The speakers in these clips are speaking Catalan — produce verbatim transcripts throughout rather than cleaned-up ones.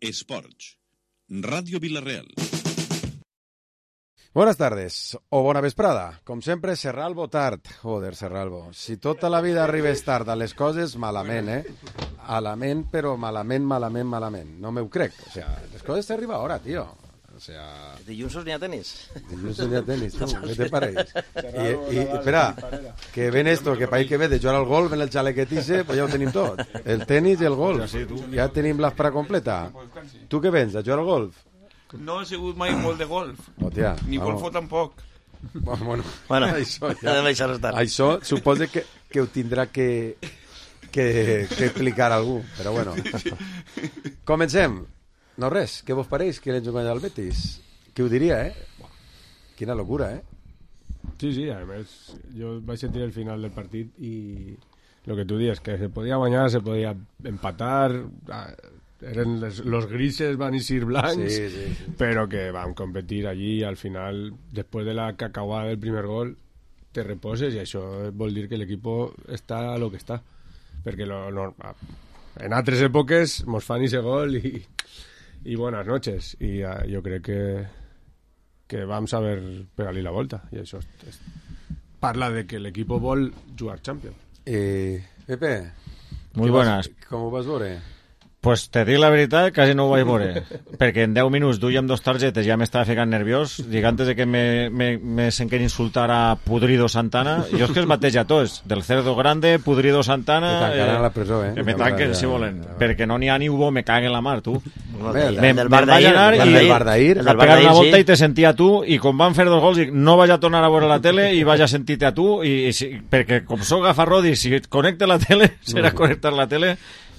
Esports. Radio Villarreal. Buenas tardes, o bona vesprada. Com sempre, Serralbo tard. Joder, Serralbo. Si tota la vida arribes tard a les coses, malament, eh? Malament, però malament, malament, malament. No m'ho crec. O sea, les coses t'arriba ara, tio. O sea... Dilluns n'hi ha tenis. Dilluns n'hi ha tenis, tu. Què te pareix? I, i espera, que ven esto, que país que ve de jugar al golf en el xalequetice, pues ja ho tenim tot. El tenis i el golf. Ja tenim l'esprà completa. Tu què vens, a jugar al golf? No he sigut mai molt de golf. Hòstia, ni golfo tampoc. Bueno, bueno això, ja. això suposa que, que ho tindrà que, que, que explicar algú, però bueno. Comencem. No res, què vos pareix que l'hem jugat al Betis? Qui ho diria, eh? Quina locura, eh? Sí, sí, a més, jo vaig sentir el final del partit i lo que tu dius, que se podia guanyar, se podia empatar, eren les, los grises van eixir blancs, sí, sí, sí. Però que vam competir allí i al final, després de la cacauada del primer gol, te reposes i això vol dir que l'equip està a lo que està, perquè lo, no, en altres èpoques mos fan ese gol i i buenas noches, i uh, jo crec que que vam saber pegar-li la volta, i això és, és, parla de que l'equip vol jugar Champions. Eh, Pepe, muy buenas. Vas, com ho vas veure? Pues te dic la veritat, quasi no ho vaig veure, perquè en deu minuts duíem dos targetes, ja m'estava ficant nerviós, dic antes de que me, me, me senquen insultar a Pudrido Santana, jo és que els mateix a tots, del Cerdo Grande, Pudrido Santana... Que tancaran eh, a la presó, eh? Que me tanquen, si volen, ja, ja. Perquè no n'hi ha ni Hugo, me caguen la mar, tu. Bé, el, me, el del Bar d'ahir, el del Bar d'ahir, a pegar una volta sí. I te sentia a tu, i com van fer dos gols, dic, no vaig a tornar a veure la tele i vaig a sentir-te a tu, i, i si, perquè com soc gafarrodi, si connecte la tele, serà connectar la tele...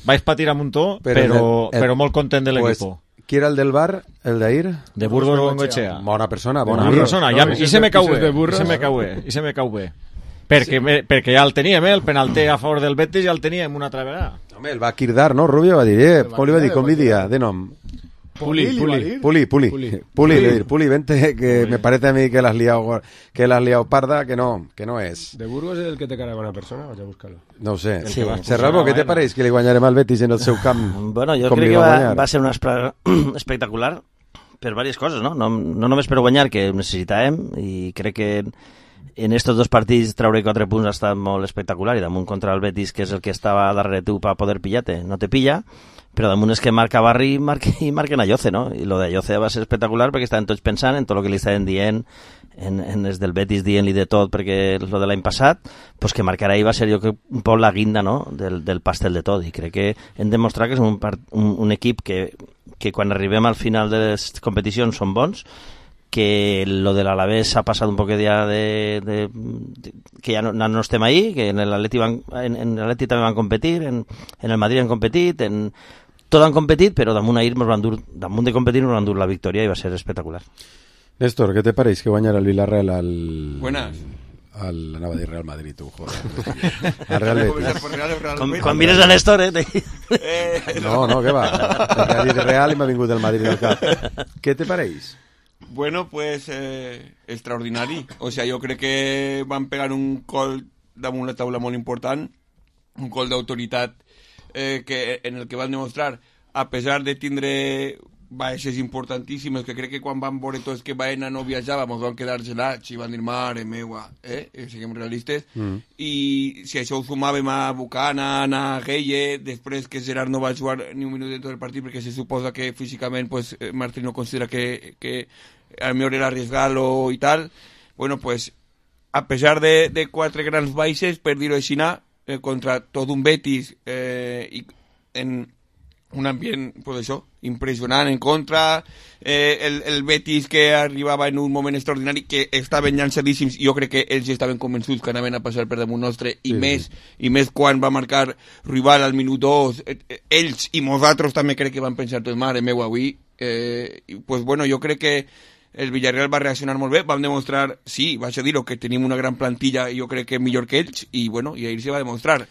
Vaig patir a muntó, però, però, el, però molt content de l'equip. Pues, qui era el del bar, el d'ahir? De Burgos Bengoechea. Bona persona, bona, bona persona. Ja, no, I se me cau bé, i se me cau bé, i se me cau bé. Perquè, sí. me, perquè ja el teníem, eh, el penalter a favor del Betis ja el teníem una altra vegada. Home, el va quirdar, no, Rubio? Va dir, eh, com li va dir, com li dia, de nom? Puli, Puli. Puli, Puli. Puli, Puli, le dir, Puli, vente, que Puli. Me parece a mí que la has liado, que la has liado parda, que no, que no és. De Burgos és el que té cara de bona persona, vaig a buscar-lo. No ho sé. Sí. Serralbo, què te pareix que li guanyarem al Betis en el seu camp? Bueno, jo crec que va, va ser una espectacular per diverses coses, no? No, no només per guanyar, que ho necessitàvem, i crec que en estos dos partits treure quatre punts ha estat molt espectacular, i damunt contra el Betis, que és el que estava darrere tu per poder pillar-te, no te pilla, però damunt és que marca Barri i marca, i marquen a Yoce, no? I lo de Yoce va ser espectacular perquè estaven tots pensant en tot el que li estaven dient, en, en els del Betis dient-li de tot perquè lo de l'any passat, pues que marcarà ahir va ser jo que un poc la guinda, no? del, del pastel de tot, i crec que hem demostrat que és un, part, un, un equip que, que quan arribem al final de les competicions són bons, que lo de l'Alavés ha passat un poc ja de, de, de que ja no, no estem ahí, que en l'Atleti van, en, en l'Atleti també van competir, en, en el Madrid han competit, en tot han competit, però damunt ahir nos van dur, damunt de competir nos van dur la victòria i va ser espectacular. Néstor, què te pareix que guanyarà el Villarreal al... Buenas. Al, anava a dir Real Madrid, tu, joder. Al Real Betis. Com, quan mires a Néstor, eh? eh... No, no, què va? He dit Real i m'ha vingut el Madrid al cap. Què te pareix? Bueno, pues eh, extraordinari. O sea, jo crec que van pegar un gol damunt la taula molt important, un gol d'autoritat eh, que, en el que van demostrar, a pesar de tindre baixes importantíssimes, que crec que quan van veure tots que Baena no viatjava, ens van quedar gelats i van dir, mare meua, eh? Siguem realistes. Mm. I si això ho sumàvem a Buchanan, a Gueye, després que Gerard no va jugar ni un minut dentro del partit perquè se suposa que físicament pues, Martín no considera que, que a lo mejor era arriesgar-lo i tal, bueno, pues a pesar de, de quatre grans baixes, per dir-ho així, eh, contra tot un Betis eh, i en un ambient, pues això, impressionant en contra, eh, el, el Betis que arribava en un moment extraordinari, que estaven llançadíssims, jo crec que ells estaven convençuts que anaven a passar per damunt nostre, i, sí, més, sí. i més quan va marcar rival al minut dos, eh, ells i nosaltres també crec que van pensar tot, mare meu, avui, eh, i, pues bueno, jo crec que el Villarreal va reaccionar molt bé, vam demostrar, sí, vaig a dir-ho, que tenim una gran plantilla i jo crec que millor que ells, i bueno, i ahir se va demostrar.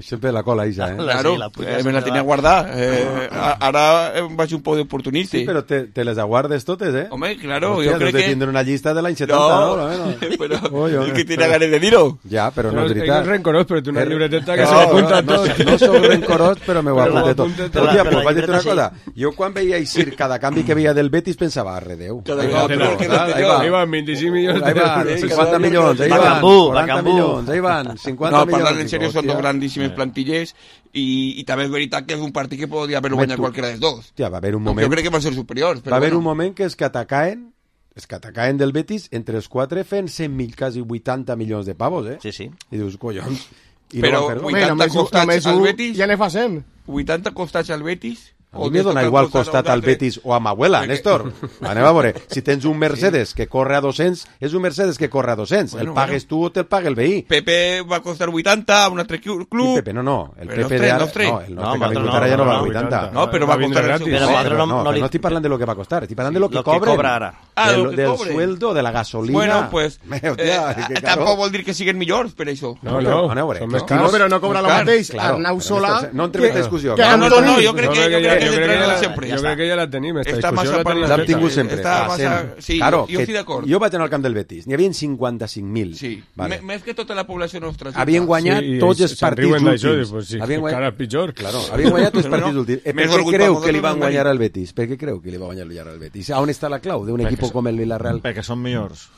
Sempre la cola, Isa, eh? Claro, Sí, la puta eh, me la se tenía va. guardada. Eh, a- ara eh, vaig un poc d'oportunista. Sí, però te, te les aguardes totes, eh? Home, claro, Hòstia, jo crec te que... tindré una llista de l'any setanta, No, no? no? però Oi, oi. el que tiene ganes de dir-ho. Ja, però no No, és ell veritat. és rencorós, però té una Er- llibreteta que No, se l'apunta no, tot. No, no soc rencorós, però me ho Però apunte ho tot. apunte Però, tot. tia, Però pues la vaig dir una llibreta cosa. Jo quan veia Isir cada canvi que veia del Betis pensava, arre, Déu. Cada Ahí vegada va, peor que total, ahí va. Ahí van vint-i-cinc milions Ahí van, d'euros. cinquanta milions, ahí van, Bacambú, quaranta Bacambú. milions, ahí van, cinquanta No, milions. parlant en sèrio, són Hòstia. dos grandíssimes plantilles i, i també és veritat que és un partit que podria haver-lo Home, guanyat tu- qualsera dels dos. Hòstia, va haver un Jo moment, crec que van ser superiors. Però va haver bueno. un moment que els que atacaven, els que atacaven del Betis, entre els quatre feien cent mil, quasi vuitanta milions de pavos, eh? Sí, sí. I dius, collons, i Però no van fer-ho. vuit- Home, només, un- costats només al un Betis. ja ne fa cent. vuitanta costats al Betis. A mi me dona igual costat al Betis o a Mahuela, Néstor. Anem a veure, si tens un Mercedes que corre a dos-cents, és un Mercedes que corre a dos-cents. Bueno, el pagues tu o te'l paga el veí. Pepe va costar vuitanta a un altre club. I Pepe, no, no. El Però Pepe els de tres, ara... els tres. No, el No, nostre que ha nosaltres vingut no, ara ja no no, va a no, vuitanta. No, però va Va vindre costar el gratis. seu- Però Sí, nosaltres però no- no, no que li- no estic parlant de lo que va costar, estic parlant de lo que Lo que cobren. cobra ara. Ah, del, lo que del cobre. sueldo, de la gasolina. Bueno, pues... Meu, eh, tia, que caro. tampoc vol dir que siguin millors, per això. No, no, Aneu a veure. són més No, cars. No, però no cobra el Clar, mateix Claro, Arnau però Solà Néstor, no entrem en que- discussió. que No, No, no, Antoni. no, jo crec No, que, no, jo que crec ja- que jo crec que l'entrenador ja- sempre. ja jo crec que ja la tenim, esta Està discussió massa la per tenim. la- L'hem tingut sempre. Està Va, massa- sempre. sí, claro, jo que estic d'acord. Jo vaig anar al camp del Betis. N'hi havia cinquanta-cinc mil. Sí, Vale. M- més que tota la població nostra. Havien guanyat Sí, i tots els se'n partits riuen d'això, últims. i pues sí, Havien encara pitjor. Claro, havien guanyat tots els Però partits no, últims. Eh, per més què orgull creu per que li nosaltres van no guanyar tenim. al Betis? Per què creu que li va guanyar al Betis? On està la clau d'un equip Perquè com el Villarreal? Perquè són millors.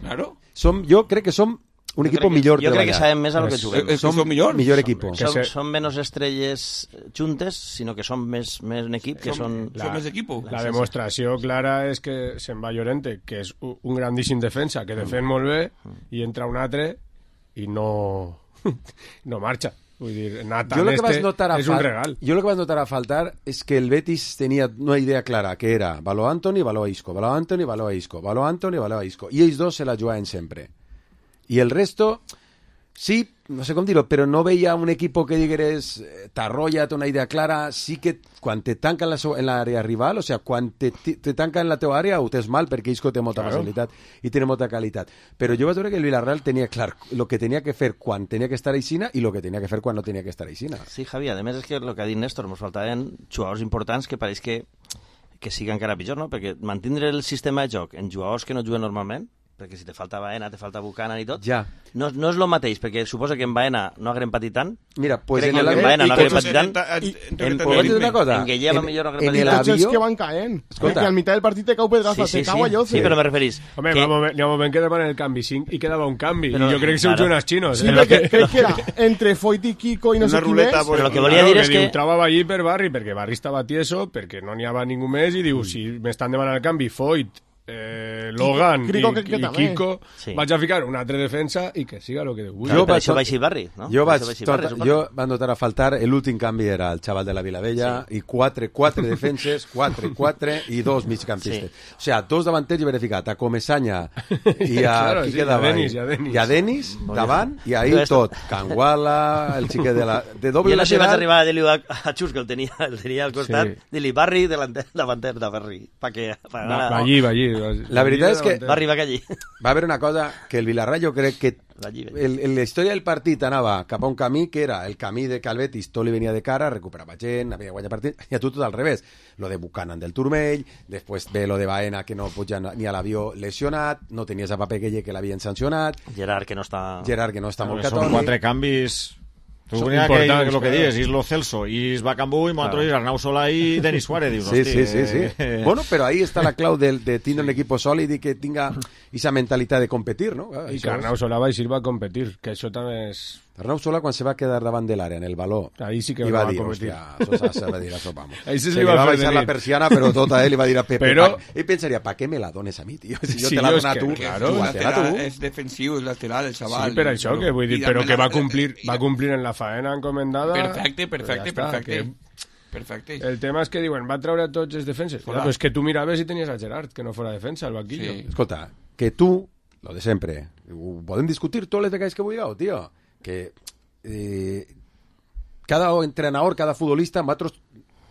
Claro. Som, jo crec que som un equip crec que- millor jo crec que treballat. sabem més a lo que És- juguem. Eh, eh, Som són millors. millor equipo. Que Som, se- som menys estrelles juntes, sinó que som més, més un equip que són... Som, som més equipo. La demostració clara és que se'n va Llorente, que és u- un grandíssim defensa, que defen molt bé, i entra un altre i no, no marxa. Vull dir, Nathan Jo lo que este vas notar a és un fal- regal. Jo lo que vas notar a faltar és que el Betis tenia una idea clara, que era Való Antoni, Való Isco, Való Antoni, Való Isco, Való Antoni, Való Isco. I ells dos se la jugaven sempre. I el resto, sí, no sé com dir-ho, però no veia un equip que digueres eh, t'arrolla, té una idea clara. Sí que quan te tanca en la seu- en l'àrea rival, o sea, quan te, te tanca en la teva àrea ho tens mal perquè Isco té molta Claro. facilitat i té molta qualitat. Però jo vaig veure que el Villarreal tenia clar el que tenia que fer quan tenia que estar a Ixina i el que tenia que fer quan no tenia que estar a Ixina. Sí, Javi, a més és que el que ha dit Néstor, ens faltaven jugadors importants que pareix que, que siga encara pitjor, no? Perquè mantindre el sistema de joc en jugadors que no juguen normalment, perquè si te falta Baena, te falta Buchanan i tot, Ja. no, no és el mateix, perquè suposa que en Baena no haguem patit tant. Mira, pues Crec en que el en Baena no i haguem tots- patit tant. en- Pots dir una cosa? En Guillem En- millor no haguem en patit el I tots tant. els avió- que van caent. Escolta. Que al mitjà del partit te cau pedraza, Sí, sí, te cau allò. sí, sí, però me referís Home, que... va un moment, hi ha un moment que demanen el canvi cinc i quedava un canvi. Però- I jo crec que són claro. jugadors xinos. Sí, eh? perquè crec que era entre Foyt i Kiko i no Una sé qui ruleta, més. pues, Però el que volia dir és diu, que... trobava allí per Barri, perquè Barri estava tieso, perquè no n'hi havia ningú més, i diu, si m'estan demanant el canvi, Foyt, eh, Logan Crico, i, que- que i també. Kiko, Sí. vaig a ficar un altre defensa i que siga el que Déu vulgui. Claro, Jo per vaig això tot- va així Barri, no? Jo Per vaig, això va així tot, Barri, suposo. jo va notar a faltar, l'últim canvi era el xaval de la Vilavella i quatre, quatre defenses, quatre, quatre i dos migcampistes. Sí. O sea, dos davanters i verificat, a Comesaña i a, Claro, qui sí, quedava i a Denis, ahí? i a Denis. I a Denis, davant, i ahí Jo esto- tot. Canguala, el xiquet de la... De doble Jo no sé si vaig lateral. arribar a dir-li a, a Xus, que el tenia, el tenia al costat, Sí. dir-li Barri davanter, davanter de Barri, pa que... Pa Va, va allí, va allí. La veritat és que- Barri va allí. Va haver una cosa que el Villarreal jo crec que Allí, el, el, la història del partit anava cap a un camí que era el camí de Calvetis, tot li venia de cara, recuperava gent, havia guanyat partit, i a tu tot al revés. Lo de Buchanan del turmell, després ve lo de Baena que no puja ni a l'avió lesionat, no tenies a Papeguelle que l'havien sancionat, Gerard, que no està... Gerard que no està molt Són catòlic. quatre canvis... Tu Són venia que importants, el que claro. dius, Islo Celso, Is Bacambú i Montro Is Arnau Solà i Denis Suárez. Dius, Sí, hosti, sí, sí, sí. eh, Bueno, però ahí està la clau de, de tindre un equip sòlid i que tinga esa mentalitat de competir, no? Ah, I això que és- Arnau Solà va eixir va a competir, que això també és... Arnau Solà, quan se va quedar davant de l'àrea en el baló, Ahí sí que i no va va dir, competir. hòstia, això s'ha de dir, això, vamos. Ahí sí se se li li va va fer baixar de la nit. persiana, però tot a ell li va dir a Pepe. Però- pa- ell pensaria, ¿pa què me la dones a mi, tio? Si jo Sí, te la jo dono és a tu, que, claro, claro, és, júgatela lateral, tu. és defensiu, és lateral, el xaval. Sí, per això, que vull dir, I però també que va la- complir, i- va complir en la faena encomendada. Perfecte, perfecte, Ja està, perfecte. que- Perfecte. El tema és que diuen, va treure tots els defenses. Ja, Hola. però és que tu miraves i tenies a Gerard, que no fora defensa, al banquillo. Sí. Escolta, que tu, lo de sempre, ho podem discutir totes les vegades que vulgueu, tio, que eh, cada entrenador, cada futbolista, nosaltres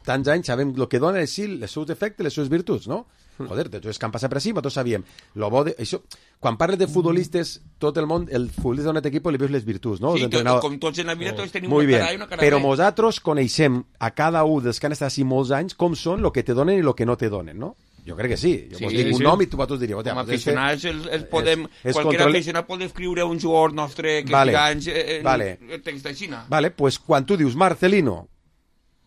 tants anys sabem el que dona és sí, els seus defectes, les seves virtuts, no? joder, de tots els que han passat per així, tots sabíem. Lo bo de, això, quan parles de futbolistes, tot el món, el futbolista d'un equip li veus les virtuts, no? Sí, tot, com tots en la vida, tots tenim Muy una bien. cara A i una cara Però B. nosaltres coneixem a cada un dels que han estat així molts anys com són el que te donen i el que no te donen, no? Jo crec que sí. Jo Sí, vos dic sí, un sí. nom i tu vosaltres diríeu... Com a aficionats, el, el podem, és qualsevol control- aficionat pot escriure un jugador nostre que Vale. estigui anys en Vale. el text de Xina. Vale, pues quan tu dius Marcelino,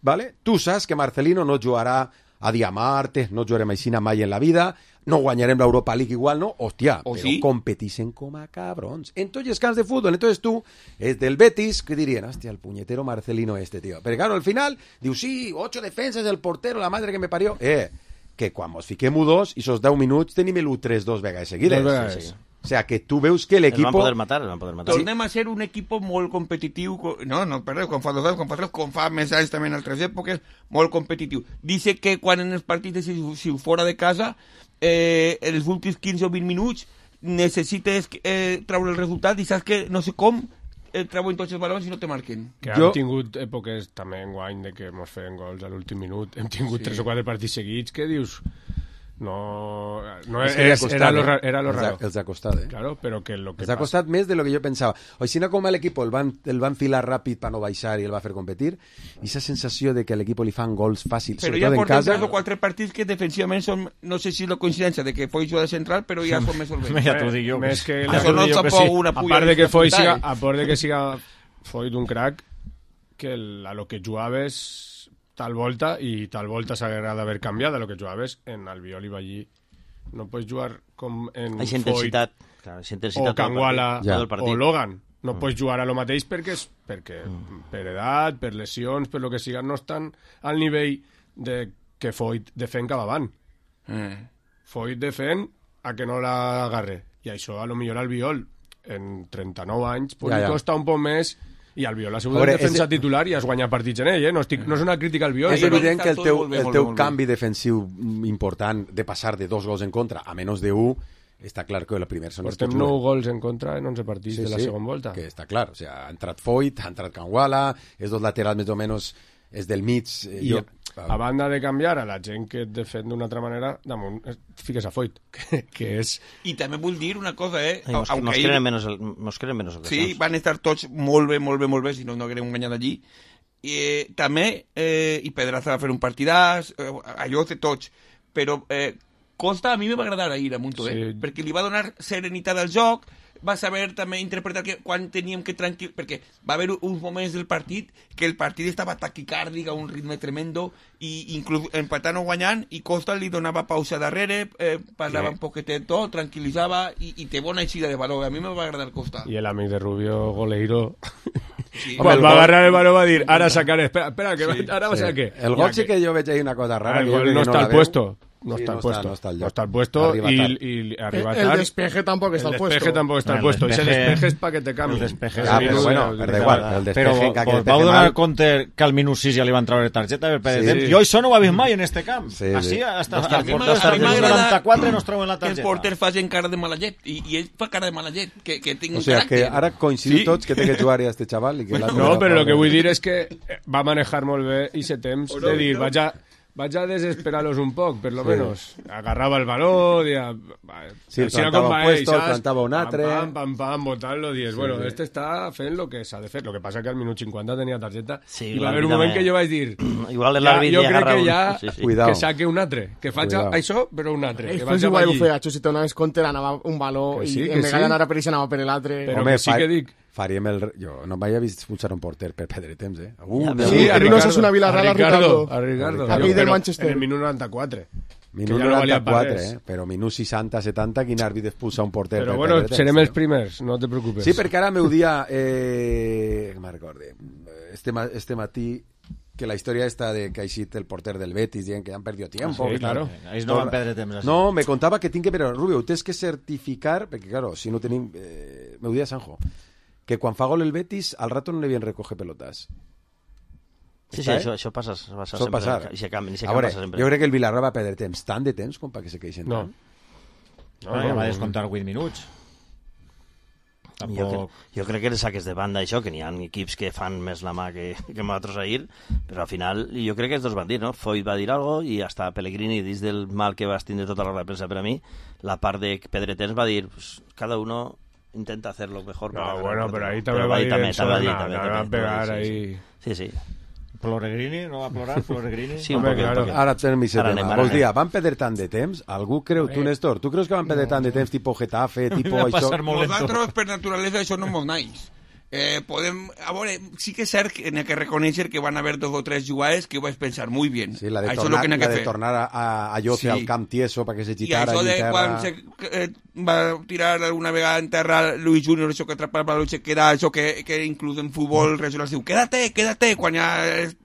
vale? Tu saps que Marcelino no jugarà a Diamarte, no jugarem així mai en la vida, no guanyarem l'Europa League igual, no? Hòstia, O però sí. competixen com a cabrons. En tots els camps de futbol, entonces tu, és del Betis, que dirien, hòstia, el puñetero Marcelino este, tío. Pero claro, al final, diu, sí, ocho defensas, el portero, la madre que me parió. Eh, que quan mos fiquem u dos, i esos deu minuts tenim l'u tres dos vegades seguides. Dos vegades. Sí, sí. O sea, que tu veus que El van l'equip... poder matar, el van poder matar. Tornem a ser un equip molt competitiu, co- no, no, perdó, com fa dos anys, com fa tres, com fa més anys també en altres èpoques, molt competitiu. Dice que quan en els partits, si, si fora de casa, eh, els últims quinze o vint minuts, necessites eh, treure el resultat i saps que no sé com eh, treuen tots els balons i no te marquen. Que Jo- hem tingut èpoques també en guany de que mos feien gols a l'últim minut. Hem tingut Sí. tres o quatre partits seguits que dius... No, no És és, que li ha costat, era, lo, eh? ra- era lo Els ha- raro. Els ha costat, eh? Claro, pero que lo que Els ha pasa- costat més de lo que jo pensava. O si no, com a l'equip el van, el van filar ràpid per no baixar i el va fer competir, i aquesta sensació de que a l'equip li fan gols fàcils, Però ja sobretot en portem casa... tres o quatre partits que defensivament són, no sé si la coincidència de que fue jugador central, però ja són més solvents. Ja t'ho dic jo. Més que Ja la- t'ho Això no dic jo que tampoc sí. una a pulla part de que foi disfrutar, siga, eh? a part de que siga foi d'un crack que el, a lo que jugaves tal volta i tal volta s'haguera d'haver canviat a lo que jugaves en Albiol i Ballí. No pots jugar com en Eixa Foyt intensitat. Clar, eixa intensitat o Canguala Ja. del partit. o Logan. No pots jugar a lo mateix perquè, és, perquè per edat, per lesions, per lo que siga, no estan al nivell de que Foyt defèn cap avant. Eh. Foyt defèn a que no l'agarre. I això, a lo millor al Viol, en trenta-nou anys, pot Ja, ja, ja. costa un poc més, i al Viol ha sigut A veure, el defensa és- titular i has guanyat partits en ell, eh? No, estic, no és una crítica al Viol. És Això però- evident que el tot teu, molt bé, el molt teu bé, molt bé. canvi defensiu important de passar de dos gols en contra a menys de un, està clar que el primer són els que Portem juguen. nou gols en contra en onze partits de la segona volta. Que està clar, o sigui, ha entrat Foyt, ha entrat Canguala, els dos laterals més o menys és del mig. Eh, I jo, a banda de canviar a la gent que et defèn d'una altra manera, damunt eh, fiques a Foyt, que, que és... I també vull dir una cosa, eh? Ai, mos, Aunque mos, ahir- creen menos, el- mos creen menos Sí, ocasions. van estar tots molt bé, molt bé, molt bé, si no, no haguérem guanyat allí. I, eh, també, eh, i Pedraza va fer un partidàs, eh, allò de tots, però eh, Costa a mi me va agradar ahir a Munto, eh? Sí. Perquè li va donar serenitat al joc, va saber també interpretar que quan teníem que tranquil... Perquè va haver uns moments del partit que el partit estava taquicàrdic a un ritme tremendo i inclús empatant o guanyant i Costa li donava pausa darrere, eh, parlava Sí. un poquetet tot, tranquil·litzava i, i té bona eixida de valor. A mi me va agradar Costa. I el amic de Rubio, Goleiro... Sí. Quan el va gol- agarrar el baló va dir, ara sacaré, espera, espera, que va- ara va sí. ser què? El gol sí que jo veig ahí una cosa rara. El que jo gol crec no que està la al veu. puesto. No Sí, está al no puesto. está- no está al No lloc. está al puesto Arriba y, tard. y arriba El, el tard. despeje tampoco está El al puesto. despeje tampoco está al El puesto. Ese despeje- despeje es para que te cambie. El despeje Ah, sí, però sí, bueno, el però da despeje. igual, el despeje Però que vos despeje vau donar mal. compte que al minut sis ja li van treure targeta per Sí. sí. Jo això no ho he vist mai en este camp. Sí, Així, sí. hasta, Hòstia, a hasta, mi m'agrada- hasta a mi el m'agrada noranta-quatre nos treuen la que els targeta. porters facin cara de mala llet i, i ell fa cara de mala llet que, que tinc O un sigui, que caràcter. ara coincidim Sí. tots que té que jugar a este xaval i que l'altre No, no però fa el que res. vull dir és que eh, va manejar molt bé i se temps O no, de dir, no. vaig a, vaig a desesperar-los un poc, per lo menos. Agarrava el baló, dia, Sí, el plantava un puesto, el plantava un altre. Pam, pam, pam, botant-lo, dies, bueno, sí. este està fent lo que s'ha de fer. Lo que passa que al minut cinquanta tenia targeta Sí, i va haver un l'àrbitre moment me- que jo vaig dir Igual ja, l'àrbit jo li crec agarra que un- ja sí, sí. Cuidao. que saque un altre, que faig Cuidao. això però un altre, Ell que fes vaig a igual ho ballir. feia, si te donaves compte anava un baló Que i sí, que en vegada sí. d'anar a per ell anava per l'altre. Però Home, que sí fa- que dic. faríem el... Jo no m'havia vist expulsar un porter per perdre temps, eh? Uh, Ja, però- Sí, a a Ricardo, Ricardo, una Villarreal, a a Ricardo, Ricardo. a Ricardo. Aquell del Però Manchester. En el minut noranta-quatre. minut que ja no valia per noranta-quatre, res. eh? Però minut seixanta setanta, quin àrbit expulsa un porter Però per bueno, perdre temps, serem eh? els primers, no te preocupes. Sí, perquè ara meu dia, eh, que me'n recorde, este, ma- este matí, que la història esta de que ha eixit el porter del Betis dient que han perdido tiempo. Sí, que claro. Ells no van perdre temps. Així. No, me contava que tinc que... Però, Rubio, ho tens que certificar, perquè, claro, si no tenim... Eh, meu dia, Sanjo, que quan fa gol el Betis, al rato no li havien recoge pelotas. Sí, sí, Està, eh? això, això passa, passa Sol sempre. passar. I se camp, i se A camp veure, passa sempre. jo crec que el Villarreal va perdre temps, tant de temps com perquè se queixen No. tant. No, Ah, ja no, va no. descomptar vuit minuts. tampoc... Jo, cre jo crec que els saques de banda, això, que n'hi ha equips que fan més la mà que, que nosaltres ahir, però al final jo crec que els dos van dir, no? Foyt va dir algo i hasta Pellegrini, dins del mal que vas tindre tota la hora de premsa per a mi, la part de Pedretens va dir, pues, cada uno intenta hacer lo mejor. No, bueno, pero ahí també també va dir també, eso, també, no, també, no, també, va pegar sí, ahí... Sí, sí. Floregrini, no va plorar, Floregrini? Sí, un Home, poquet, claro. un poquet. Ara tenim aquest Ara tema. anem, ara Vols dir, anem. van perdre tant de temps? Algú creu, tu, Néstor, tu creus que van perdre tant de temps, tipus Getafe, tipus Va això? passar molt lento. Nosaltres, per naturalesa, això no mos naix. Eh, podem, a veure, sí que és cert que n'hi ha que reconèixer que van haver dos o tres jugades que ho vaig pensar muy bien. Sí, la de Això és tornar, lo que n'hi ha la que de fer. tornar a, a, a Lloce Sí. al camp tieso perquè se I gitara això allí de en terra. quan se, eh, va tirar una vegada en terra Luis Junior, això que atrapa el balón, se queda, això que, que inclús en futbol regional es diu, quédate, quédate, quan ja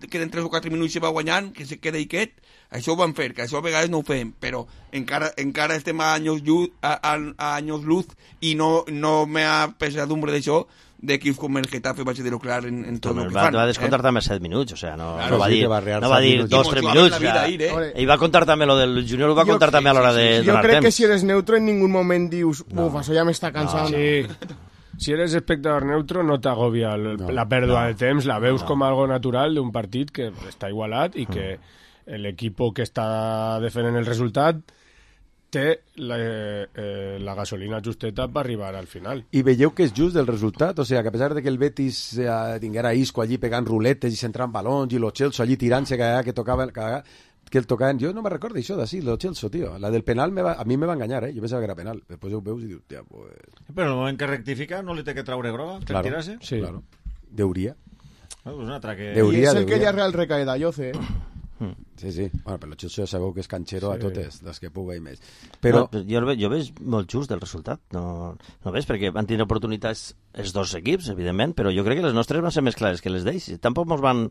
queden tres o quatre minuts i se va guanyant, que se queda i quet, això ho van fer, que això a vegades no ho fem, però encara, encara estem a anys luz, a, a, a anys luz i no, no me ha pesadumbre d'això, d'equips com el Getafe vaig dir-ho clar en, en tot Home, el que va, fan. va descontar també set minuts, o sea, no, Claro, no va sí, dir, que va rear no va set dir minuts. dos, I tres motivaven minuts. la vida O sea, ahir, eh? Hombre, ell va contar també lo del Junior, ho va Jo contar crec- també a l'hora sí, de sí, sí. Jo donar crec que temps. si eres neutro en ningún moment dius, uf, això ja m'està cansant. Sí. Si eres espectador neutro no t'agobia el- No, la pèrdua de temps, la veus com algo natural d'un partit que està igualat i que l'equip que està defendent el resultat té la, eh, la gasolina justeta per arribar al final. I veieu que és just el resultat? O sigui, que a pesar de que el Betis eh, tinguera Isco allí pegant ruletes i centrant balons i lo Chelsea allí tirant-se que, que tocava que, que el tocaven, jo no me recordo això d'ací, lo Chelsea, tio. La del penal me va, a mi me va enganyar, eh? Jo pensava que era penal. Després ho veus i dius, tia, pues... Però en el moment que rectifica no li té que traure groga, que Claro, tirase. Sí. claro. Deuria. Ah, pues una altra que... Deu- I Hauria, és el que hauria. ja Real recae d'Alloce, eh? Sí, sí. Bueno, però el Chelsea sabeu que és canxero Sí. a totes, les que puga i més. Però... No, jo, el ve- jo veig molt just el resultat, no, no veig, perquè van tenir oportunitats els dos equips, evidentment, però jo crec que les nostres van ser més clares que les d'ells. Tampoc mos van,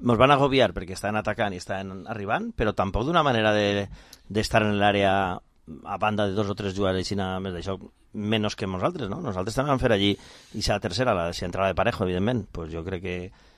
mos van agobiar perquè estaven atacant i estaven arribant, però tampoc d'una manera de d'estar en l'àrea a banda de dos o tres jugadors així nada més d'això, menys que nosaltres, no? Nosaltres també vam fer allí, i la tercera, la, si entrava de parejo, evidentment, pues jo crec que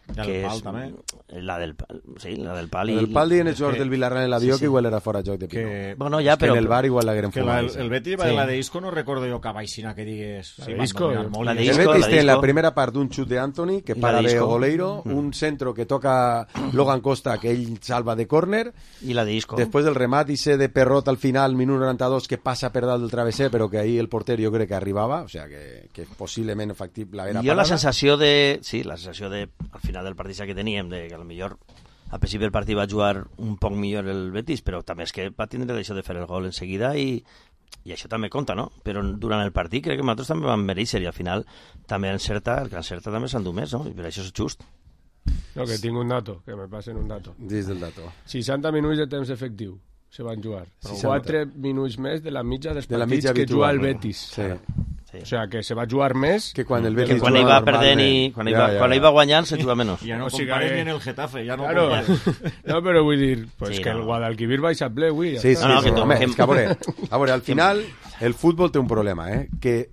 La que del pal, és, també. La del pal, sí, la del pal. El pal dient els jugadors que- del Villarreal en l'avió sí, sí. que igual era fora de joc de Pino. Que, Bueno, ja, Que però... en el bar igual l'hagueren que la, fumat. el, el Betis va Sí. sí. la de Isco, no recordo jo que baixina que digues... La Sí, de van Isco, dominar molt la i- de El Isco, Betis la té en la Isco. primera part d'un xut d'Anthony que I la para de d'Isco. Oleiro, un centro que toca Logan Costa que ell salva de córner, I la de Isco. després del remat i se de Perrot al final, minut noranta-dos, que passa per dalt del travesser, però que ahí el porter jo crec que arribava, o sea que, que possiblement factible era Jo la parada. sensació de... Sí, la sensació de... Al final del partit que teníem, de que a lo millor a principi del partit va jugar un poc millor el Betis, però també és que va tindre això de fer el gol en seguida i, i això també compta, no? Però durant el partit crec que nosaltres també vam mereixer i al final també encerta, el que encerta també s'endú més, no? I per això és just. No, que tinc un dato, que me passen un dato. Dins del dato. seixanta minuts de temps efectiu se van jugar. seixanta. quatre minuts més de la mitja dels De la partits mitja que habitual. juga el Betis. Sí. Sí. O sea, que se va jugar més... Que quan el Que Betis Que quan juga ell va normalment- perdent i quan ell Ja, va, ja, quan ja. ell va guanyant se juga menys. Ja no O sigui compares que- ni en el Getafe, ja no Claro. compares. No, però vull dir, pues Sí, que no. el Guadalquivir baixa ple avui. Ja Sí, sí, està. No, no, sí, que to- home, que- és que a veure, a veure, al final el futbol té un problema, eh? Que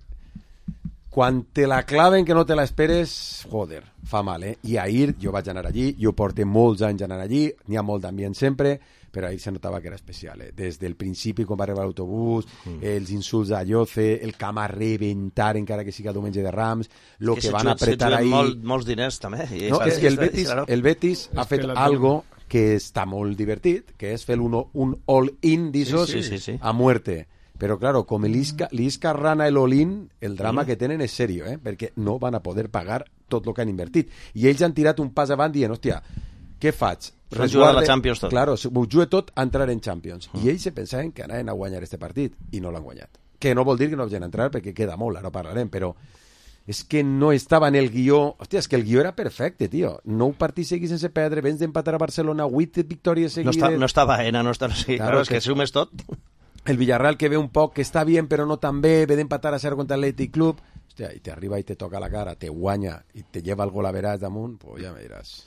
quan te la claven que no te la esperes, joder, fa mal, eh? I ahir jo vaig anar allí, jo porto molts anys anant allí, n'hi ha molt d'ambient sempre, però ahir se notava que era especial, eh? Des del principi, quan va arribar l'autobús, mm. els insults a Lloce, el camp a rebentar, encara que siga diumenge de Rams, lo que, se van juguen- apretar se juguen ahir... molt, molts diners també. I No, això- és que el això- Betis, claro. el Betis ha És que fet la- algo que està molt divertit, que és fer un, un all-in d'issos Sí, sí, sí, sí. a muerte. Però, claro, com l'Isca l'Isca rana el all-in, el drama Sí. que tenen és serio, eh? Perquè no van a poder pagar tot el que han invertit. I ells han tirat un pas avant dient, hòstia, què faig? S'han jugat la Champions tot. Claro, m'ho jugué tot a entrar en Champions. I ells se pensaven que anaven a guanyar este partit i no l'han guanyat. Que no vol dir que no hagin entrar perquè queda molt, ara parlarem, però és que no estava en el guió... Hòstia, és que el guió era perfecte, tio. Nou partits seguits sense perdre, vens d'empatar a Barcelona, vuit victòries No seguides... està, no està Baena, no està... Sí, Claro, claro, és que- que sumes tot. El Villarreal que ve un poc, que està bien però no tan bé, ve d'empatar a cero contra l'Athletic Club, hòstia, i te arriba i te toca la cara, te guanya i te lleva el gol a veràs damunt, pues ja me diràs.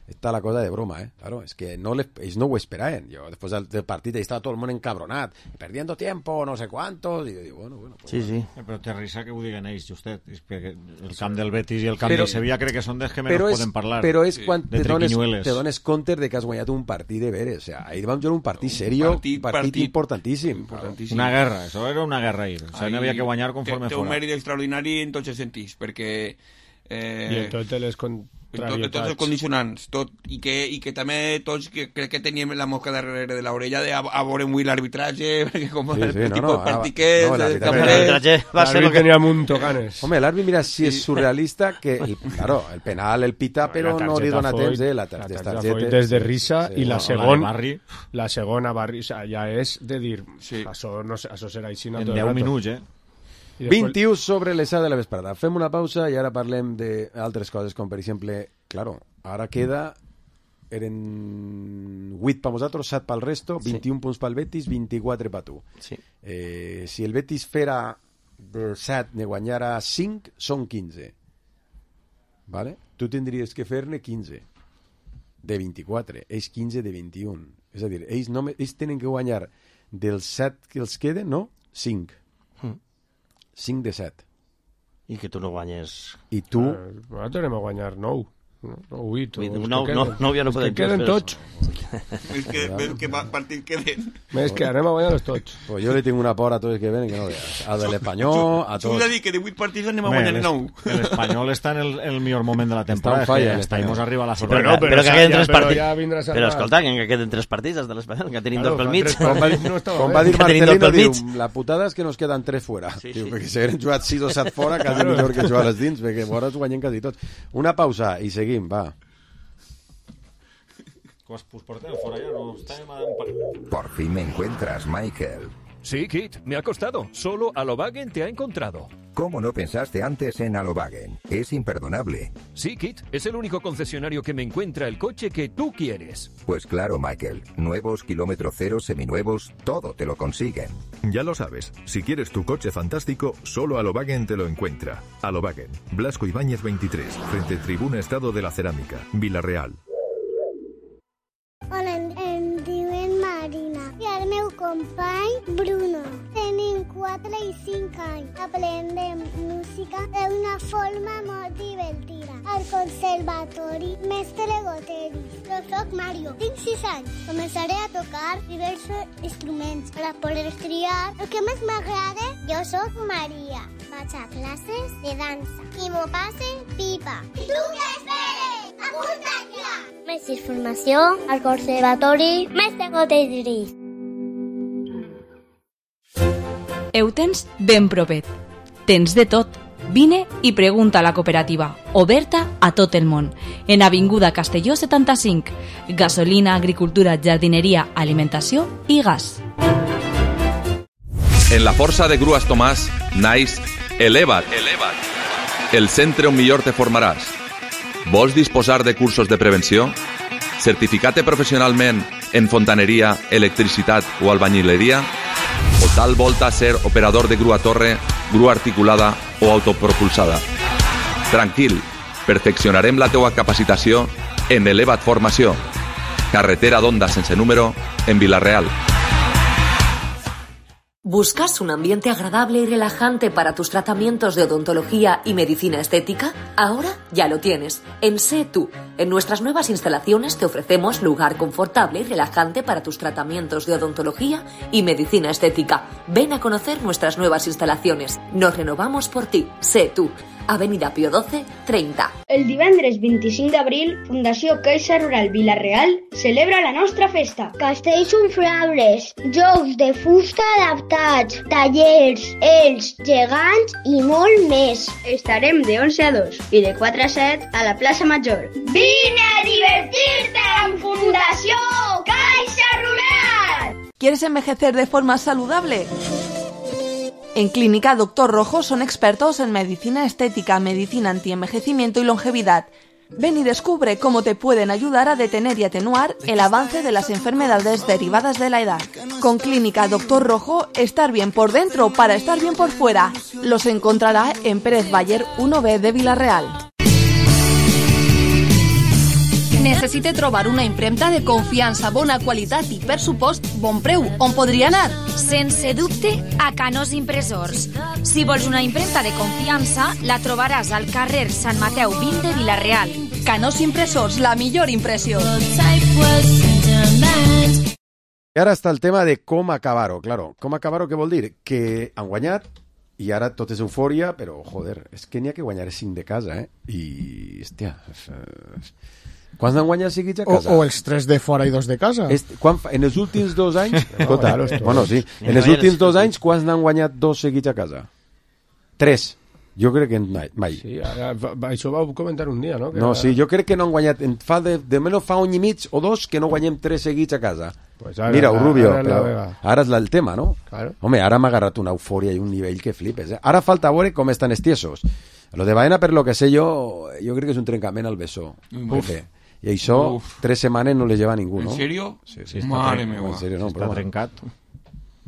Está la cosa de broma, ¿eh? Claro, es que no les, ellos no ho esperaven. Yo, después del, del partido, estaba todo el mundo encabronat, perdiendo tiempo, no sé cuántos, y yo digo, bueno, bueno. Pues, sí, sí. Eh, però té risa que ho diguen ells, justet. És que el camp del Betis i el camp però, del Sevilla crec que són dels que menys però és, poden parlar. Però és quan de te dones, te dones compte de que has guanyat un partit de veres. O sea, ahir vam jugar un partit serio, un partit, partit, partit importantíssim. importantíssim. Una guerra, això era una guerra ahir. O sea, no havia que guanyar conforme té, fora. Té un mèrit extraordinari en tots els sentits, perquè... Eh, I en totes les contrarietats. Tots els condicionants, tot, i, que, i que també tots que, crec que teníem la mosca darrere de l'orella de a, a veure avui l'arbitratge, perquè com sí, el sí, tipus no, no, de partit que és... No, l'arbitratge va ser... L'àrbit tenia mucho ganes. Home, l'àrbit, mira, si és surrealista, que, el, claro, el penal el pita, però no li dona temps, eh, la targeta. La targeta foi des de risa, sí, i la, no, segon, la segona Barri, o sea, ja és de dir, sí. això, no sé, això serà així. En deu minuts, eh? vint-i-u sobre les set de la vesprada. Fem una pausa i ara parlem d'altres coses, com per exemple, claro, ara queda eren vuit per nosaltres, set pel resto, vint-i-un sí. punts pel Betis, vint-i-quatre per tu. Sí. Eh, si el Betis fera de set ne guanyara cinc, són quinze. Vale? Tu tindries que fer-ne quinze de vint-i-quatre, ells quinze de vint-i-un. És a dir, ells, no, ells tenen que guanyar dels set que els queden, no? cinc. cinc de set. I que tu no guanyes... I tu... Eh, nosaltres anem a guanyar nou. No, vuit. No, no, no, ja no podem. Que queden tots. És que, ves que partits queden. És que anem a guanyar-los tots. Pues jo li tinc una por a tots els que venen que no veus. A de l'Espanyol, a tots. Tu has de dir que de vuit partits anem a guanyar nou. L'Espanyol està en el, el millor moment de la temporada. Està en falla. Està i mos arriba a la sorpresa. sorpresa. Però, però, però que queden tres partits. Ja però escolta, que queden tres partits de l'Espanyol, que tenim dos pel mig. Com va, com va dir Marcelino, diu, la putada és que nos queden tres fora. Sí, diu, sí. Perquè si hagueren jugat sis o set fora, quasi millor que jugar les dins, perquè fora ens guanyem quasi tots. Una pausa i seguim, va. Por fin me encuentras, Michael. Sí, Kit, me ha costado. Solo Alobagen te ha encontrado. ¿Cómo no pensaste antes en Alobagen? Es imperdonable. Sí, Kit, es el único concesionario que me encuentra el coche que tú quieres. Pues claro, Michael. Nuevos, kilómetro cero, seminuevos, todo te lo consiguen. Ya lo sabes. Si quieres tu coche fantástico, solo Alobagen te lo encuentra. Alobagen, Blasco Ibáñez veintitrés, frente Tribuna Estado de la Cerámica, Vila-real. Hola, em diuen Marina i el meu company Bruno. Tenim quatre i cinc anys. Aprendem música d'una forma molt divertida. Al Conservatori Mestre Goteris. Jo soc Mario, tinc sis anys. Començaré a tocar diversos instruments per poder triar el que més m'agrada. Jo soc Maria. Vaig a classes de dansa i m'ho passe pipa. I tu què esperes? Apunta't ja! Més informació al Conservatori Mestre Goteris. Ho tens ben propet. Tens de tot. Vine i pregunta a la cooperativa, oberta a tot el món. En Avinguda Castelló setanta-cinc. Gasolina, agricultura, jardineria, alimentació i gas. En la força de Grues Tomàs naix Eleva't, Eleva't, el centre on millor te formaràs. Vols disposar de cursos de prevenció? Certificat-te professionalment en fontaneria, electricitat o albañileria? O tal volta ser operador de grua torre, grua articulada o autopropulsada? Tranquil, perfeccionarem la teua capacitació en Eleva't Formació. Carretera d'Onda sense número en Vila-real. ¿Buscas un ambiente agradable y relajante para tus tratamientos de odontología y medicina estética? Ahora ya lo tienes. En Sé Tú. En nuestras nuevas instalaciones te ofrecemos lugar confortable y relajante para tus tratamientos de odontología y medicina estética. Ven a conocer nuestras nuevas instalaciones. Nos renovamos por ti. Sé Tú. Avenida Pío doce, treinta. El divendres vint-i-cinc d'abril, Fundació Caixa Rural Vila-real celebra la nostra festa. Castells inflables, jocs de fusta adaptats, tallers, ells, gegants i molt més. Estarem de onze a dos i de quatre a set a la plaça Major. Vine a divertir-te amb Fundació Caixa Rural! ¿Quieres envejecer de forma saludable? En Clínica Doctor Rojo son expertos en medicina estética, medicina antienvejecimiento y longevidad. Ven y descubre cómo te pueden ayudar a detener y atenuar el avance de las enfermedades derivadas de la edad. Con Clínica Doctor Rojo, estar bien por dentro para estar bien por fuera. Los encontrará en Pérez Bayer uno B de Vila-real. Necessite trobar una impremta de confiança, bona qualitat i, per supost, bon preu. On podria anar? Sense dubte, a Canós Impressors. Si vols una impremta de confiança, la trobaràs al carrer Sant Mateu vint de Vila-real. Canós Impressors, la millor impressió. I ara està el tema de com acabar-ho. Claro, com acabar-ho què vol dir? Que han guanyat i ara tot és eufòria, però, joder, és que n'hi ha que guanyar cinc de casa, eh? I, hòstia... Quants n'han guanyat seguits a casa? O, o els tres de fora i dos de casa. Est, quan, en els últims dos anys... Escolta, no, bueno, sí. En els últims dos anys, quants n'han guanyat dos seguits a casa? Tres. Jo crec que mai. mai. Sí, ara, va, això ho vau comentar un dia, no? Que no, ara... sí, jo crec que no han guanyat... Fa de, de menys fa un any i mig o dos que no guanyem tres seguits a casa. Pues ara, Mira, Rubio, ara, però ara, ara és el tema, no? Claro. Home, ara m'ha agarrat una eufòria i un nivell que flipes, eh? Ara falta veure com estan estiesos. Lo de Baena, per lo que sé jo, jo crec que és un trencament al bessó. Uf. I això, Uf. tres setmanes no les lleva ningú, ¿En no? serio? Sí, sí, Mare meva. En serio, no, Està però, trencat.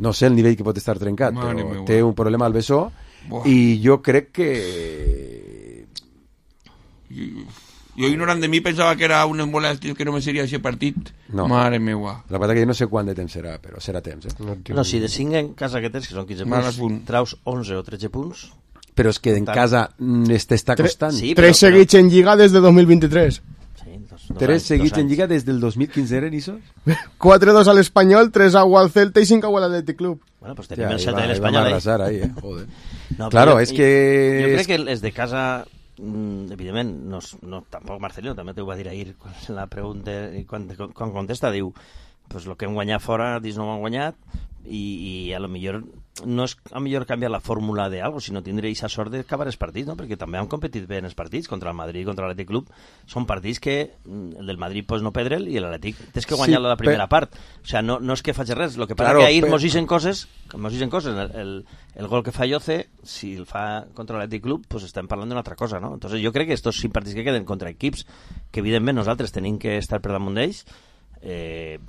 no sé el nivell que pot estar trencat, Mare però meva. té un problema al bessó. Buah. I jo crec que... Jo, ignorant de mi, pensava que era un embolàstic que no me seria aquest partit. No. Mare meua. La veritat que jo no sé quant de temps serà, però serà temps, eh? No, no si de cinc en casa que tens, que són quinze Mal punts, traus onze o tretze punts... Però és que en Tant. casa t'està Tre- costant. Sí, Tres però- seguits en Lliga des de dos mil vint-i-tres. Sí, dos, dos Tres anys, seguits dos en anys. Lliga des del dos mil quinze, eren isos? quatre dos al Espanyol, tres a al Celta i cinc a l'Atlètic Club. Bueno, pues tenim Ja, el ahí set va- de ahí l'Espanyol, vam eh? arrasar ahí, eh? Joder. No, Claro, però és que- Jo crec que els de casa, mm, evidentment, no, no, tampoc Marcelino, també t'ho va dir ahir, quan la pregunta, quan, quan contesta, diu, pues lo que hem guanyat fora, dis no ho han guanyat, i, i a lo millor no és a millor canviar la fórmula de algo, sinó tindre aquesta sort d'acabar els partits, no? Perquè també han competit bé en els partits, contra el Madrid i contra l'Atlètic Club. Són partits que mm, el del Madrid pues, no perdre'l i l'Atlètic tens que guanyar Sí, la primera per- part. O sea, no, no és que faci res, el que passa Claro, que ahir per- mos dicen coses, mos dicen coses, el, el, el gol que fa Yoce, si el fa contra l'Atlètic Club, pues estem parlant d'una altra cosa, no? Entonces jo crec que estos cinc partits que queden contra equips que evidentment nosaltres tenim que estar per damunt d'ells, eh,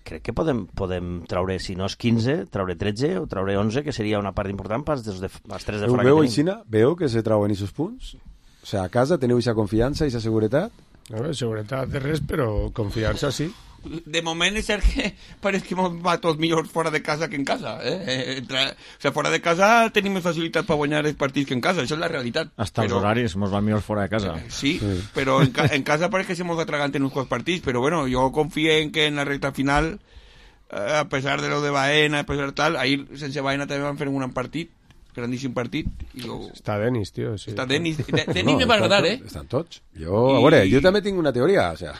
crec que podem, podem traure, si no és quinze, traure tretze o traure onze, que seria una part important pels dels de, els tres de Ho fora veu, que tenim. Aixina? Veu que se trauen aquests punts? O sea, a casa teniu aquesta confiança, aquesta seguretat? A veure, seguretat de res, però confiança sí. De moment és cert que pareix que ens va tot millor fora de casa que en casa. Eh? Eh, Entre, o sea, fora de casa tenim més facilitat per guanyar els partits que en casa, això és la realitat. Hasta els horaris mos van millor fora de casa. Sí, sí. Però en, ca en casa pareix que se mos atraganten uns quants partits, però bueno, jo confio en que en la recta final, eh, a pesar de lo de Baena, a pesar de tal, ahir sense Baena també van fer un gran partit, grandíssim partit. I jo... Està Denis, tio. Sí. Està Denis. De Denis no, me va agradar, eh? Estan tots. Jo, a veure, jo també tinc una teoria. O sea,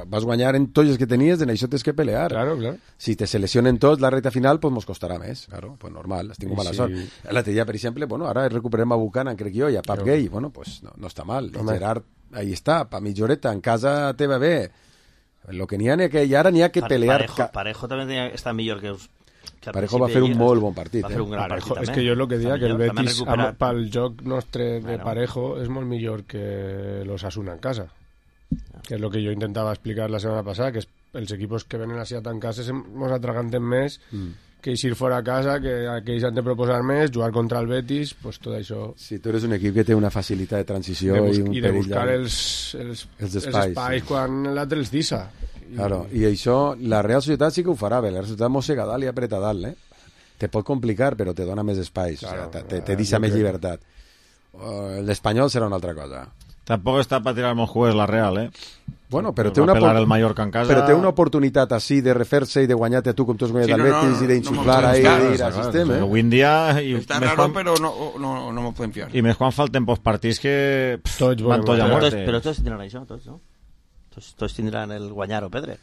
vas guanyar en tots els que tenies, en això tens que pelear. Claro, claro. Si te seleccionen tots, la recta final, pues mos costarà més. Claro, pues normal, has tingut mala Sí. sort. L'altre dia, per exemple, bueno, ara recuperem a Buchanan, crec jo, i a Pap Però- Gay. Bueno, pues no, no està mal. I Home. Gerard, ahí està, pa mitjoreta, en casa te va bé. Lo que n'hi ha, que i ara n'hi ha que Pare- pelear. Parejo, Parejo també tenia, està millor que... us- que al Parejo va principi fer un de- molt bon partit, Va eh? fer un gran Parejo, partit, és també. que jo el que dia Està que el millor, també Betis recuperat. amb, pel joc nostre de Bueno. Parejo és molt millor que l'Osasuna en casa, que és el que jo intentava explicar la setmana passada, que és, els equipos que venen així a tancar-se se mos atraganten més Mm. que eixir fora a casa, que aquells han de proposar més, jugar contra el Betis, pues tot això... Si tu eres un equip que té una facilitat de transició de bus i un i de perill buscar de- els, els, els els espais, espais sí. quan l'altre els dissa. I- Claro, i això, la Real Societat sí que ho farà bé, la Real Societat mossega dalt i apreta dalt, eh? Te pot complicar, però te dona més espais, Claro, o sea, te, eh, te deixa jo més crec. llibertat. Uh, L'Espanyol serà una altra cosa. Tampoc està per tirar molt jugues la Real, eh? Bueno, però Nos té va una, pelar opor- el Mallorca en casa. però té una oportunitat així de refer-se i de guanyar-te tu com tu has guanyat Sí, al no, no, Betis no, i d'insuflar no ahí m'ho i podem al sistema. Eh? Avui en dia... I Està més raro, quan, però no, no, no m'ho podem fiar. I més quan falten pocs partits que... Pff, Tots van volem tots a guanyar. Però tots, muerte. però tots tindran això, tots, no? Tots, tots tindran el guanyar o perdre.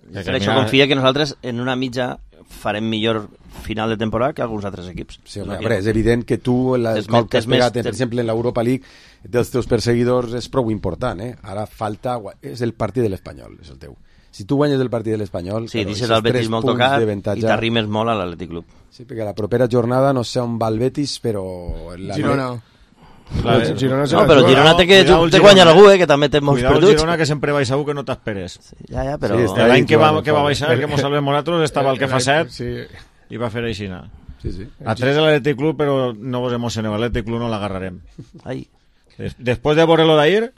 Que Per això mira- confia que nosaltres en una mitja farem millor final de temporada que alguns altres equips. Sí, home, a veure, és evident que tu el És cop que has més- pegat, més- per exemple, en l'Europa League dels teus perseguidors és prou important, eh? Ara falta... gua- És el partit de l'Espanyol, és el teu. Si tu guanyes el partit de l'Espanyol... Sí, claro, deixes aquests el Betis tres molt punts tocat d'avantatge- i t'arrimes molt a l'Atlètic Club. Sí, perquè la propera jornada no sé on va el Betis, però... La Girona. La, El Girona se No, la però juga. Girona té que Cuidao el té Girona. guanyar algú, eh, que també té molts Cuidao el perduts. Girona, que sempre vais segur que no t'esperes. Sí, ja, ja, però... Sí, està L'any ahí, que, va, clar, que va clar. baixar, que mos salvem nosaltres, estava el que fa set Sí. i va fer aixina. Sí, sí. A tres de l'Atlètic Club, però no vos emocioneu, l'Atlètic Club no l'agarrarem. Ai. Des, después de veure lo d'ahir,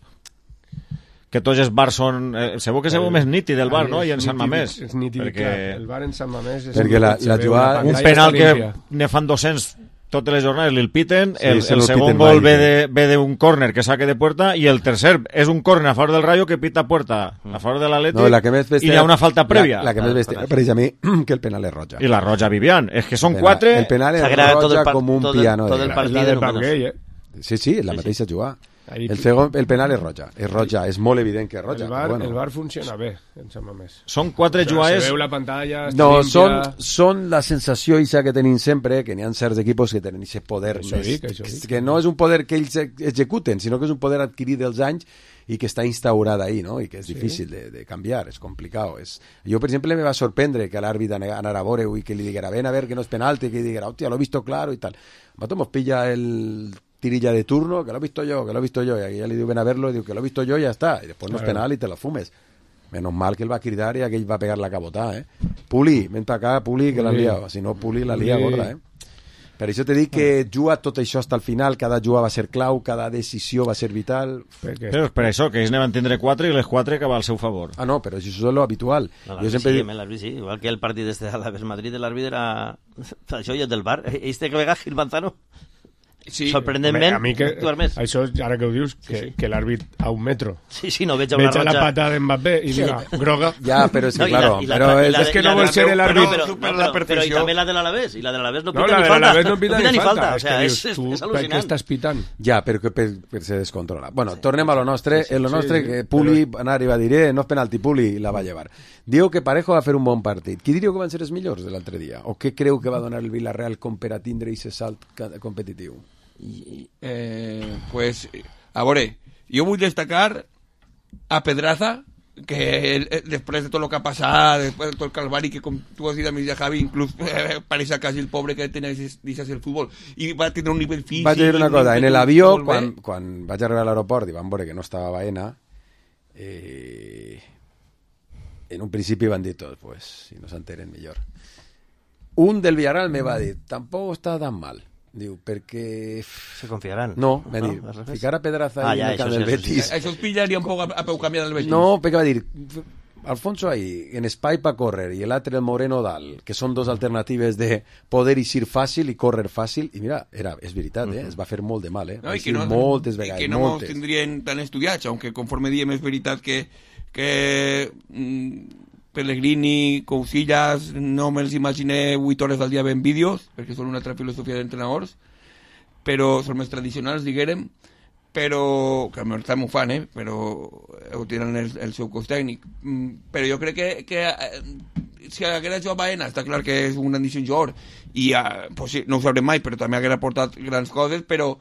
que tots els bars són... Eh, segur que segur més nítid el bar, no? I en Sant Mamés. És nítid, perquè... clar. El bar en Sant Mamés... És perquè la, la jugada... Un penal que ne fan dos-cents totes les jornades li'l piten, sí, el, el segon gol ve de, ve d'un córner que saque de puerta i el tercer és un córner a favor del Rayo que pita puerta a favor de l'Atlètic no, la que més i hi ha una falta prèvia. La, la que més vestia, per a mi, que el penal és roja. I la roja Vivian, és que són el penal, quatre... El penal és roja com un tot piano. El, tot el de partit de Pep Gay, eh? Sí, sí, la sí, mateixa sí. jugada. Ahí el, segon, el penal és roja, és roja, és molt evident que és roja. El bar, bueno. el bar funciona bé, en Sant Mamés. Són quatre o sea, jugades... Se veu la pantalla... No, limpia... són, són la sensació isa que tenim sempre, que n'hi ha certs equipos que tenen aquest poder això més, dic, això que, dic. que no és un poder que ells executen, sinó que és un poder adquirit dels anys i que està instaurat ahí, no? I que és sí. difícil de, de canviar, és complicat. És... Jo, per exemple, me va sorprendre que l'àrbit anara a veure i que li diguera, ven a ver que no és penalti, que li diguera, hòstia, lo he visto claro i tal. Mato mos pilla el tirilla de turno, que lo he visto yo, que lo he visto yo, y aquí ya le digo, ven a verlo, y digo, que lo he visto yo, y ya está, y después no es penal y te lo fumes. Menos mal que él va a cridar y aquell va a pegar la cabotada, eh. Puli, ven para acá, Puli, que la han liado, si no, Puli la lia gorda, eh. Per això te dic que juga tot això hasta el final, cada jugada va ser clau, cada decisió va ser vital. Però és per això, que ells ne van tindre quatre i les quatre que va al seu favor. Ah, no, però això és lo habitual. No, jo sempre sí, dic... l'àrbit sí, igual que el partit este de l'Aves Madrid, l'àrbit era... Això i el del bar, este que vega Gil Manzano. Sí, sorprenentment, a mi que, més. això, ara que ho dius, que, sí, sí. que l'àrbit a un metro sí, sí, no veig a una veig a la roja. pata d'Mbappé i sí. diga, groga. Ja, però és que, no, claro, i la, i la, però i la, és i que la, no vol ser l'àrbit. Però, no, però, però, però i també la de l'Alavés, i la de l'Alavés no pita no, ni falta. No, no pita, no pita ni falta. O sea, és, dius, tu, és al·lucinant. Per què estàs pitant? Ja, però que per, per se descontrola. Bueno, sí. tornem a lo nostre. Sí, sí, en lo nostre, sí, sí, que Puli però... anar i va dir, eh, no és penalti, Puli, la va llevar. Diu que Parejo va fer un bon partit. Qui diríeu que van ser els millors de l'altre dia? O què creu que va donar el Villarreal com per a tindre aquest salt competitiu? Eh, pues, a veure, jo vull destacar a Pedraza, que el, el, després de tot el que ha passat, després de tot el calvari, que com tu has dit a mi ja Javi, inclús eh, pareix quasi el pobre que tenia deixat el futbol, i va tenir un nivell físic... Vaig dir una cosa, en l'avió, quan, quan vaig arribar a l'aeroport i van veure que no estava Baena, eh, en un principi van dir tots, pues, si no s'enteren millor. Un del Villarreal me va dir, tampoc està tan mal. Diu, perquè... Se confiaran. No, va dir, no, ficar a Pedraza ah, ja, en el camp del Betis... Això es pillaria un poc a, a peu canviar del Betis. No, perquè va dir, Alfonso ahí, en espai per córrer, i l'altre el Moreno dalt, que són dos alternatives de poder eixir fàcil i córrer fàcil, i mira, era, és veritat, eh? Es va fer molt de mal, eh? No, i que no, moltes vegades, i que no moltes. ens tindrien tan estudiats, aunque conforme diem és veritat que, que mm, Pellegrini, Cousillas, no me'ls imaginé vuit hores al dia ben vídeos, perquè són una altra filosofia d'entrenadors, però són més tradicionals, diguérem, però, que almenys també ho fan, eh? Però ho tenen el, el seu cos tècnic. Però jo crec que, que si haguera jugat Baena, està clar que és un grandíssim jugador, i pues sí, no ho sabrem mai, però també haguera portat grans coses, però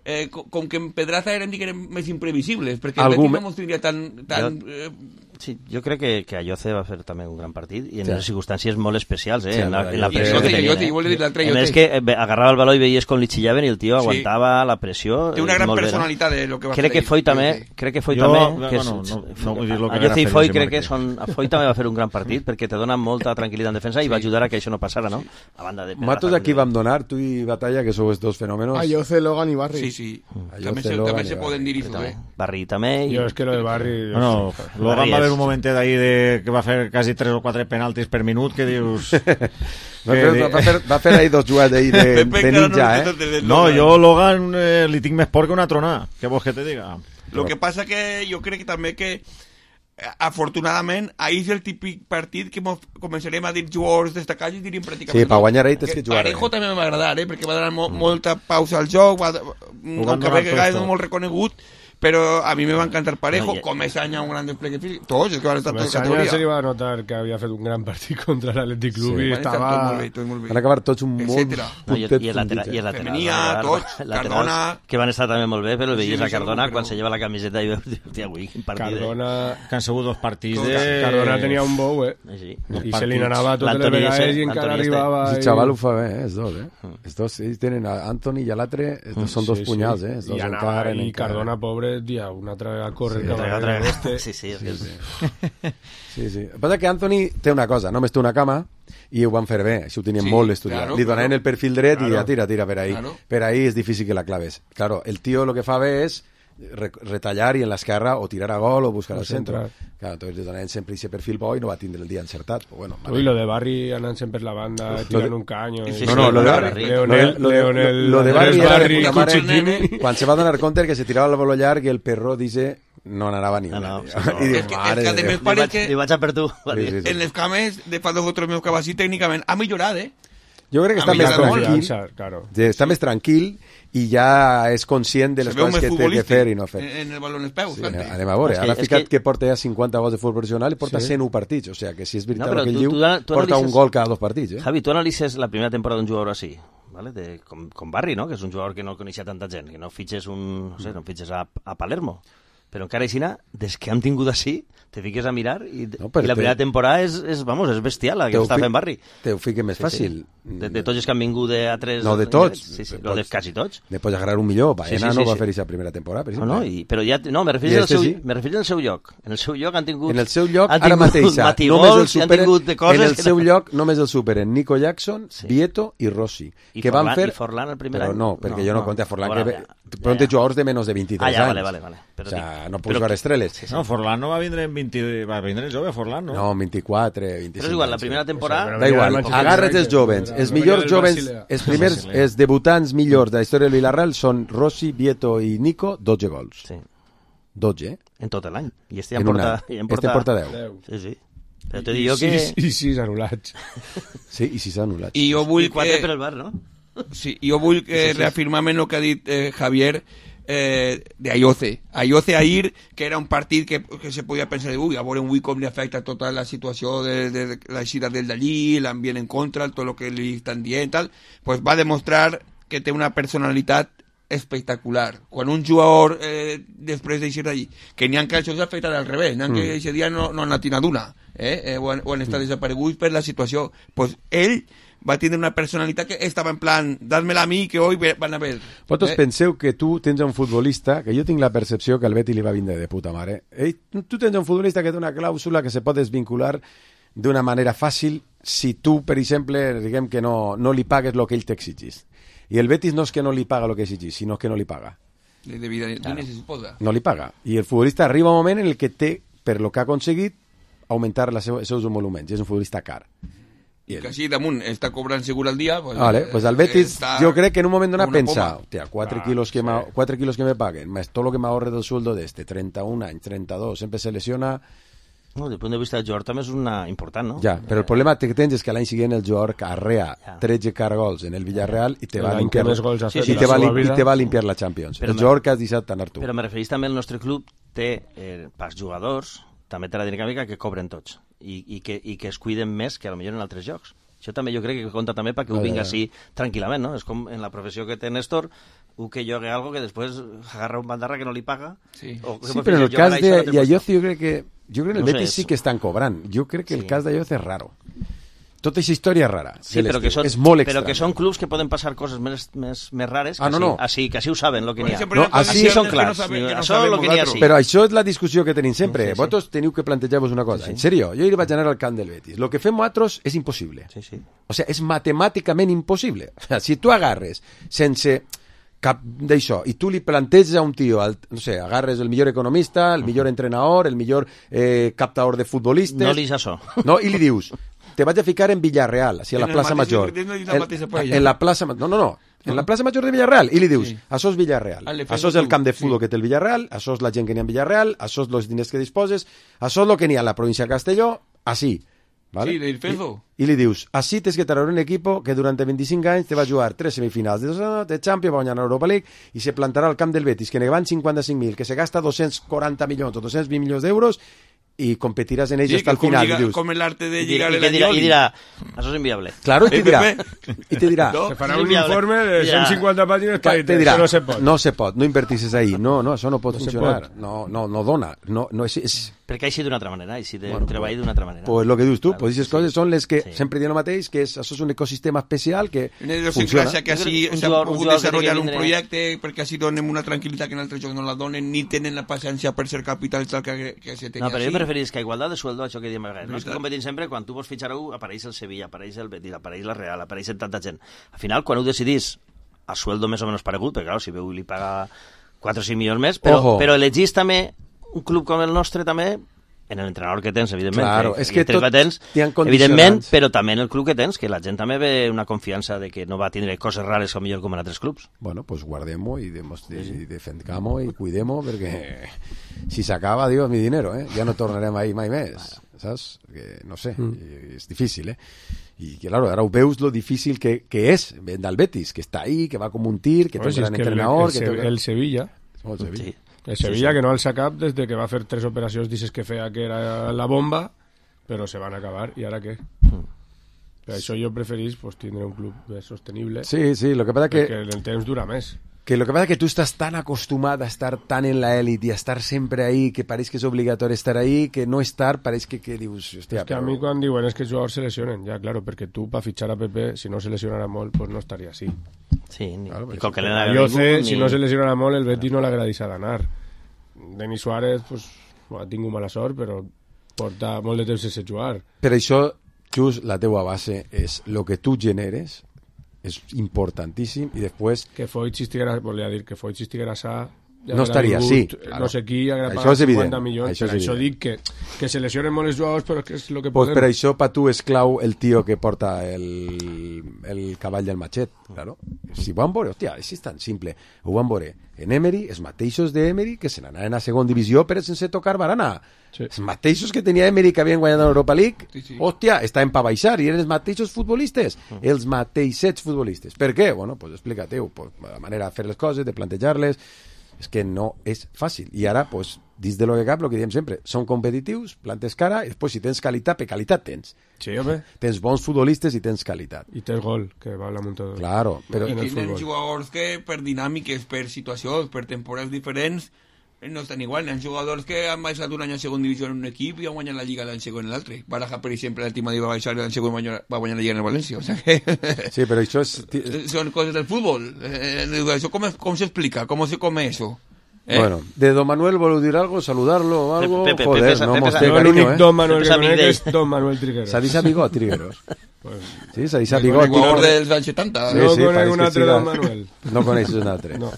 eh, com, com que en Pedraza eren, diguem, més imprevisibles, perquè el Betis no ens tindria tan... tan jo... eh, Sí, jo crec que, que Ayoce va fer també un gran partit i en sí. unes circumstàncies molt especials, eh? Sí, en, la, en la i pressió que tenien. Eh? A més que agarrava el baló i veies com li xillaven i el tio aguantava sí. la pressió. Té una gran molt personalitat bé, no? de lo que va crec fer. Que foi també, crec que foi jo, també... Que bueno, no, no vull dir lo que Ayoce i Foi crec que són... Foi també va fer un gran partit perquè te dona molta tranquil·litat en defensa i va ajudar a que això no passara, no? A banda de... Matos aquí vam donar, tu i Batalla, que sou els dos fenòmenos. Ayoce, Logan i Barri. Sí, sí. També se, també se poden dir això, eh? Barri també. Jo és que lo de Barri... No, Logan va haver un momentet ahí de que va fer quasi tres o quatre penaltis per minut, que dius... va, fer, va, fer, va fer ahí dos jugades ahí de, de ninja, eh? No, jo Logan eh, li tinc més por que una tronada. Què vols que te diga? Lo que passa que jo crec que també que afortunadament ahir és el típic partit que començarem a dir jugadors destacats i diríem pràcticament sí, per guanyar ahir tens que jugar Parejo també va agradar, eh? Perquè va donar mo mm. molta pausa al joc, va, aunque ve que és molt reconegut, però a mi me va encantar Parejo, no, ja... com Esanya un gran despliegue físic, tots, és que van estar tots a categoria. Se li va notar que havia fet un gran partit contra l'Atlètic Club sí. i estava... Tot molt bé, tot molt bé. Van acabar tots un molt... No, i, i el lateral, i el lateral, Femenia, tots, Cardona... Que van estar també molt bé, però veies sí, a Cardona quan se lleva la camiseta i veus, hòstia, avui, quin partit. Cardona... Que han sigut dos partits de... Cardona tenia un bou, eh? Sí. I se li n'anava totes les vegades i encara arribava... El xaval ho fa bé, eh? Els dos, eh? Els dos, ells tenen Anthony i l'altre, són dos punyals, eh? I anava, i Cardona, pobre, dia, una altra a córrer sí, cap a este. Sí, sí, sí, sí. sí, sí. El que passa que Anthony té una cosa, només té una cama i ho van fer bé, això ho tenien sí, molt estudiat. Claro, li donaven claro. el perfil dret claro. i ja tira, tira per ahí. Claro. Per ahí és difícil que la claves. Claro, el tio lo que fa bé és re retallar i en l'esquerra o tirar a gol o buscar o al centre. Claro, entonces li donaven sempre aquest perfil bo i no va tindre el dia encertat. Però bueno, vale. Uy, lo de Barry anant sempre per la banda, tirant un caño. Sí, sí, no, no, lo de Barry. Leonel, lo, Leonel, lo de Barry era de puta mare. Quan se va donar compte que se tirava el baló llarg i el perro dice no anava ni una. No, no, no. I diu, mare de Déu. Li vaig a per tu. Sí, sí, sí. En les cames de fa dos o tres mesos que va així, tècnicament ha millorat, eh? Jo crec que està més tranquil, claro. està més tranquil i ja és conscient de les coses que té que fer i no fer. En el baló en els peus. Sí, anem a veure, ara ha ficat que porta ja cinquanta gols de futbol professional i porta sí. cent u partits, o sigui que si és veritat no, el que ell diu, porta un gol cada dos partits. Eh? Javi, tu analitzes la primera temporada d'un jugador així, ¿vale? De, com, com Barry, no? Que és un jugador que no coneixia tanta gent, que no fitxes, un, no sé, no fitxes a, a Palermo. Però encara així, des que hem tingut així, te fiques a mirar i, no, i la primera te... temporada és, és, vamos, és bestial la que està fent Barry. Te ho fiques més sí, fàcil. Sí. De, de tots els que han vingut de a tres... No, de tots. Sí, sí, pots, de quasi tots. Ne pots agarrar un millor. Baena sí, sí, sí, no va sí. fer aquesta primera temporada, per exemple. No, no, i, però ja... No, me refereixo, al seu, sí. me refereixo al seu lloc. En el seu lloc han tingut... En el seu lloc, ara mateix, només el superen... En el seu lloc només el superen Nico Jackson, sí. Vieto i Rossi. I que Forlan, van fer... i Forlan el primer però any? No, perquè jo no conté a Forlan, que però té jugadors de menys de vint-i-tres anys. Ah, ja, vale, vale, vale. O sea, no pots veure estreles. No, Forlan no va vindre en vint... Va vindre jove, Forlan, no? No, vint-i-quatre, vint-i-cinc. Però és igual, la primera temporada... Da igual, agarres els jovens. Els millors jovens, els primers, els debutants millors de la història del Villarreal són Rossi, Vieto i Nico, dotze gols. Sí. dotze, eh? En tot l'any. I este en porta... Este porta deu. Sí, sí. Però te dic jo que... I sis anul·lats. Sí, i sis anul·lats. I jo vull I quatre que... per el bar, no? Sí, jo vull que reafirmar-me el que ha dit eh, Javier eh, de Ayoce. Ayoce Ahir, que era un partit que, que se podia pensar, ui, a veure un ui com li afecta tota la situació de, de, de la eixida del d'allí, l'ambient en contra, tot el que li estan dient, tal, pues va demostrar que té una personalitat espectacular. Quan un jugador eh, després d'eixir d'allí, que n'hi ha que això s'ha afectat al revés, n'hi ha que aquest dia no, no han anat d'una, eh? eh, o, han, o han estat desapareguts per la situació, pues ell va tenir una personalitat que estava en plan, dad-me-la a mi, que hoy van a ver. Vosaltres eh? penseu que tu tens un futbolista, que jo tinc la percepció que al Betis li va vindre de puta mare. Eh? Tu tens un futbolista que té una clàusula que se pot desvincular d'una manera fàcil si tu, per exemple, diguem que no, no li pagues el que ell t'exigís. I el Betis no és que no li paga el que exigís, sinó que no li paga. De, de vida, claro. Se suposa. No li paga. I el futbolista arriba un moment en el que té, per lo que ha aconseguit, augmentar els seus emoluments. És un futbolista car. I que així damunt està cobrant segur al dia pues, vale, pues al Betis està... jo crec que en un moment donat pensa hòstia, quatre ah, quilos que sí. cuatro kilos que me paguen más todo lo que me ahorre del sueldo de este treinta un anys, treinta dos, sempre se lesiona. No, des del punt de vista del jugador també és una important, no? Ja, però el problema que tens és que l'any següent el jugador arrea ja. tretze cargols en el Villarreal i te va a limpiar sí, sí, i te va, i te va a limpiar la Champions. Però el jugador que has deixat tan Artur. Però me referís també al nostre club té eh, pels jugadors també té la dinàmica que cobren tots i, i, que, i que es cuiden més que potser en altres jocs. Això també jo crec que compta també perquè ho vinga així tranquil·lament, no? És com en la professió que té Néstor, un que jogui algo que després agarra un bandarra que no li paga. Sí, o, sí però en el cas de Ayoce jo crec que jo crec que el no Betis sé, sí que estan cobrant. Jo crec que sí. el cas d'Ayoce és raro. Tota aquesta història és rara. Sí, però que, són, és molt però que són clubs que poden passar coses més, més, més rares que, ah, no, no. Així, que així ho saben, el que n'hi ha. No, així són clars. No saben, no això és el que n'hi ha, sí. Però això és la discussió que tenim sempre. Sí, sí. Vosaltres teniu que plantejar-vos una cosa. Sí, sí. En sèrio, jo hi vaig anar al camp del Betis. Lo que fem nosaltres és impossible. Sí, sí. O sea, és matemàticament impossible. O sea, si tu agarres sense cap d'això i tu li planteges a un tio, al, no sé, agarres el millor economista, el millor entrenador, el millor eh, captador de futbolistes... No li és això. No, i li dius... Te vaig a ficar en Villarreal, así a la Plaza Mayor. En, en la Plaza No, no, no. En la Plaza Mayor de Villarreal. I li dius, sí. Això és Villarreal. Això és el camp de futbol sí. que té el Villarreal, això és la gent que n'hi ha en Villarreal, això és els diners que disposes, això és el que n'hi ha a la província de Castelló, així. ¿Vale? Sí, del Fezo. I, I li dius, així tens que treure un equipo que durant veinticinc anys te va jugar tres semifinals de, de Champions, va guanyar l'Europa League i se plantarà al camp del Betis, que ne van cinquanta-cinc mil, que se gasta dos-cents quaranta milions o dos-cents vint milions d'euros y competirás en ellos sí, hasta el final. Llega, dius, com el arte de y llegar y, a la dirá, y dirá, eso es inviable. Claro, y te dirá, y te dirá, no, se farà un informe de ciento cincuenta páginas para te dirá, no se pot. No se pot, no invertisses ahí. No, no, això no pot no funcionar. No, no, no dona. No, no és, és... Perquè així d'una altra manera, així de bueno, treball d'una altra manera. Pues lo que dius tu, claro, pues aquestes sí. coses són les que sí. sempre diuen el mateix, que és, això és un ecosistema especial que funciona. Que així s'ha pogut desenvolupar un projecte perquè així donem una tranquil·litat que en altres jocs no la donen, ni tenen la paciència per ser capitals que, que se tenia. No, però jo preferís que a igualtat de sueldo, això que diem a vegades, no és que competim sempre, quan tu vols fitxar algú, apareix el Sevilla, apareix el Betis, apareix la Real, apareix tanta gent. Al final, quan ho decidís a sueldo més o menys paregut, perquè clar, si veu li paga quatre o cinc milions més, però, Ojo. però elegís també un club com el nostre també en l'entrenador que tens, evidentment. Claro, que, és que que tot tens, hi ha condicionants. evidentment, però també en el club que tens, que la gent també ve una confiança de que no va tindre coses rares o millor com en altres clubs. Bueno, pues guardem-ho i, demos- i defendam-ho i cuidem-ho, perquè si s'acaba, dios, mi dinero, eh? Ja no tornarem ahí mai més, saps? Perquè, no sé, mm. és difícil, eh? I, claro, ara ho veus lo difícil que, que és del Betis, que està ahí, que va com un tir, que té Pues un es gran que el, entrenador... el, que el, té... el Sevilla... Oh, el Sevilla. Sí. El Sevilla, sí, sí. que no alça cap desde que va fer tres operacions, dices que feia que era la bomba, però se van acabar, i ara què? Mm. Per això jo preferís pues, tindre un club més sostenible. Sí, sí, lo que pasa que... Perquè el temps dura més. Que lo que pasa es que tú estás tan acostumbrado a estar tan en la élite y a estar siempre ahí, que parece que es obligatorio estar ahí, que no estar parece que, que dius, hostia, és que però... a mi quan diuen és que els jugadors se lesionen, ja, claro, perquè tu per fitxar a Pepe, si no se lesionara molt, pues no estaria així. Sí, ni, claro, ni pues, con que le A Yoce, si no se lesionara molt, el Betis no l'agrada deixar d'anar. Denis Suárez, pues, ha tingut mala sort, però porta molt de temps sense jugar. Per això, just la teua base és lo que tu generes, és importantíssim, i després... Que Foyt, si estiguera, volia dir, que Foyt, si estiguera sa, ja no estaria així. Claro. No sé qui, haguera Això pagat és evident. cinquanta milions. Això, per és això evident. dic que, que se lesionen molt els jugadors, però que és el que Pues podem. per això pa tu és clau el tio que porta el, el cavall del matxet, claro. Si ho van veure, hòstia, és tan simple. Ho van veure en Emery, els mateixos d'Emery que se n'anaven a segon divisió però sense tocar barana. Sí. Els mateixos que tenia Emery que havien guanyat l'Europa League, Sí, sí. hòstia, estaven pa baixar i eren els mateixos futbolistes, els mateixets futbolistes. Per què? Bueno, pues explica-te-ho, pues, la manera de fer les coses, de plantejar-les, és que no és fàcil. I ara, pues, dins de lo que cap, el que diem sempre, són competitius, plantes cara, i després si tens qualitat, per qualitat tens. Sí, home. Tens bons futbolistes i tens qualitat. I tens gol, que va la muntadora. Claro, però... I tenen jugadors que per dinàmiques, per situacions, per temporades diferents, no estan igual. Hi ha jugadors que han baixat un any a segon divisió en un equip i han guanyat la Lliga l'any segon en l'altre. Baraja, per exemple, l'últim dia va baixar i l'any segon va guanyar la Lliga en el València. O sea que... Sí, però això és... Són coses del futbol. Eh, això com, com s'explica? Com se come eso? Eh? Bueno, de Don Manuel voleu dir algo, saludarlo o algo, Pepe, joder, Pepe, no Pepe, mos Pepe, té Jo cariño, l'únic eh? Don Manuel Pepe que conec Samidell. és Don Manuel Trigueros. S'ha dit Bigot, Trigueros. Pues, Sí, s'ha dit Bigot. Jugador dels anys setanta. Sí, no sí, conec pareix un que altre siga- Don Manuel. No coneixes un altre. No,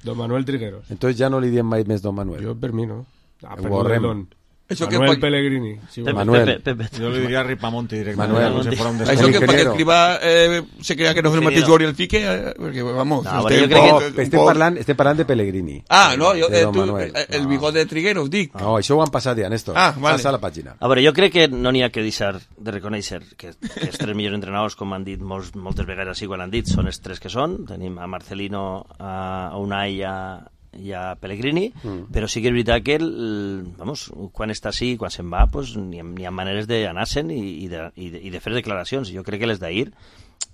Don Manuel Trigueros. Entonces ja no li diem mai més Don Manuel. Jo per mi no. Ah, Ho borrem. perdón. Això que Manuel pa- Pellegrini. Sí, Pepe, Manuel. Pepe, Pepe. Yo le diría Ripamonti directamente. Manuel. como si fuera un Això desconocido. que El perquè ingeniero. escriba eh, se crea que no és el mateix Ingeniero. Jory el fique, eh, perquè, vamos... No, este bueno, jo un crec poc- No, un estem poc- parlant, estem parlant de Pellegrini. Ah, no, jo, De eh, Don tu, Manuel. eh, el No. bigot de Trigueros, dic. No, això ho han passat ja, Néstor. Ah, vale. Passa la pàgina. A veure, jo crec que no n'hi ha que deixar de reconèixer que, que els tres millors entrenadors, com han dit molts, moltes vegades així quan han dit, són els tres que són. Tenim a Marcelino, a Unai i a, i a Pellegrini, mm. però sí que és veritat que el, vamos, quan està així i quan se'n va, pues, n'hi ha, n'hi ha maneres d'anar-se'n i, i, de, i, de, i de fer declaracions. Jo crec que les d'ahir,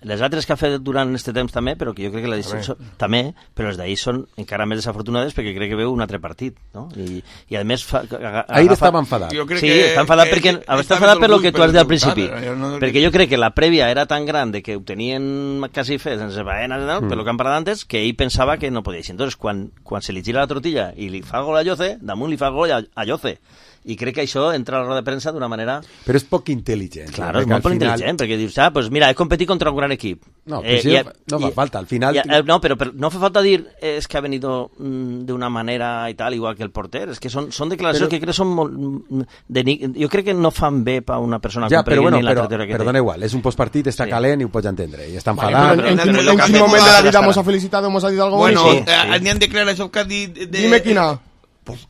les altres que ha fet durant aquest temps també, però que jo crec que les També. són, també, però les d'ahir són encara més desafortunades perquè crec que veu un altre partit, no? I, i a més fa, aga, Ahir agafa- estava enfadat. Jo crec Sí, que- està enfadat que perquè està està més enfadat per lo orgull que tu per has dit al el resultat, principi. eh, no- Perquè jo crec que la prèvia era tan gran de que ho tenien quasi fet sense faena, no? Mm. per lo que han parlat antes, que ell pensava que no podia així. Entonces, quan, quan se li gira la tortilla i li fa gol a Lloce, damunt li fa gol a, a Lloce. I crec que això entra a la roda de premsa d'una manera... Però és poc intel·ligent. Claro, és perquè molt al poc final- intel·ligent, perquè dius, ah, pues mira, he competit contra un gran equip. No, però sí, no fa falta, al final- y- eh, no, pero, pero no hace falta dir eh, es que ha venido mm, de una manera y tal, igual que el porter. Es que son, son declaracions Però- que crec que són molt... mm, De, ni- jo crec que no fan bé per una persona Ja, com però bueno, Pellegrini la però, trajectòria que perdona té. igual, és un postpartit, està Sí. calent i ho pots entendre, i està Vale, enfadat. pero en, en, Pero quin- lo en que quin hacemos moment de la ahora vida está- hemos ha felicitado, hemos ha dit algo Bueno, bonito? sí, eh, sí. n'hi han declaracions que ha dit... De, Dime quina. Pues,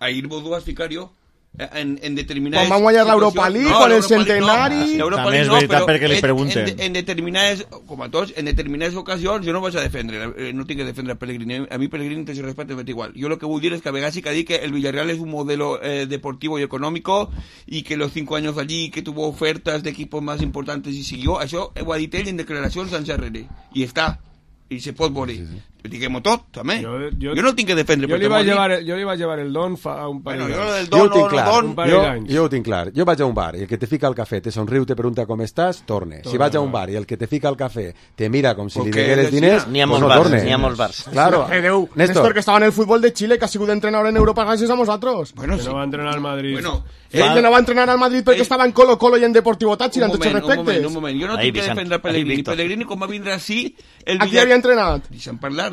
ahir vos dues ficar jo. En, en determinades... Quan van guanyar l'Europa situacions- League, No, con el l'Europa League no. centenari. L'Europa També League és no, veritat però perquè li en- pregunten. En, en determinades, com a tots, en determinades ocasions jo no vaig a defendre, eh, no tinc que defendre a Pellegrini. A mi Pellegrini te respecte m'és igual. Jo lo que vull dir es que a vegades sí que dic que el Villarreal es un modelo eh, deportivo y económico y que los cinco años allí que tuvo ofertas de equipos más importantes y siguió, això ho ha dit ell en declaracions anys darrere. I està. I se pot veure. Sí, sí. Diguem-ho tot, també. Jo, Jo- jo no tinc que defendre. Jo li, perquè vaig m'ho ha dit. llevar, jo li vaig llevar el don fa un parell Bueno, jo d'anys. del Jo ho don tinc o no clar, don... Un parell jo, d'anys. jo ho tinc clar. Jo vaig a un bar i el que te fica al cafè te somriu, te pregunta com estàs, torne. Si vaig a un bar i el que te fica al cafè te mira com si li Porque digueres decía- diners, N'hi ha pues molts no bars, torne. n'hi ha molts bars. Claro. Eh, Déu, Néstor, Néstor, que estava en el futbol de Chile, que ha sigut entrenador en Europa gràcies a nosaltres. Bueno, Que sí. no va entrenar al Madrid. Bueno, Ell no va entrenar al Madrid perquè Ell- estava en Colo Colo i en Deportivo Táchira, un en tots els moment, un moment, respectes. un moment. Jo no Ahí, tinc que Vicent. defendre a Ahí, Pellegrini. Víctor. Pellegrini, com va vindre així... El A qui havia entrenat? Deixa'm parlar.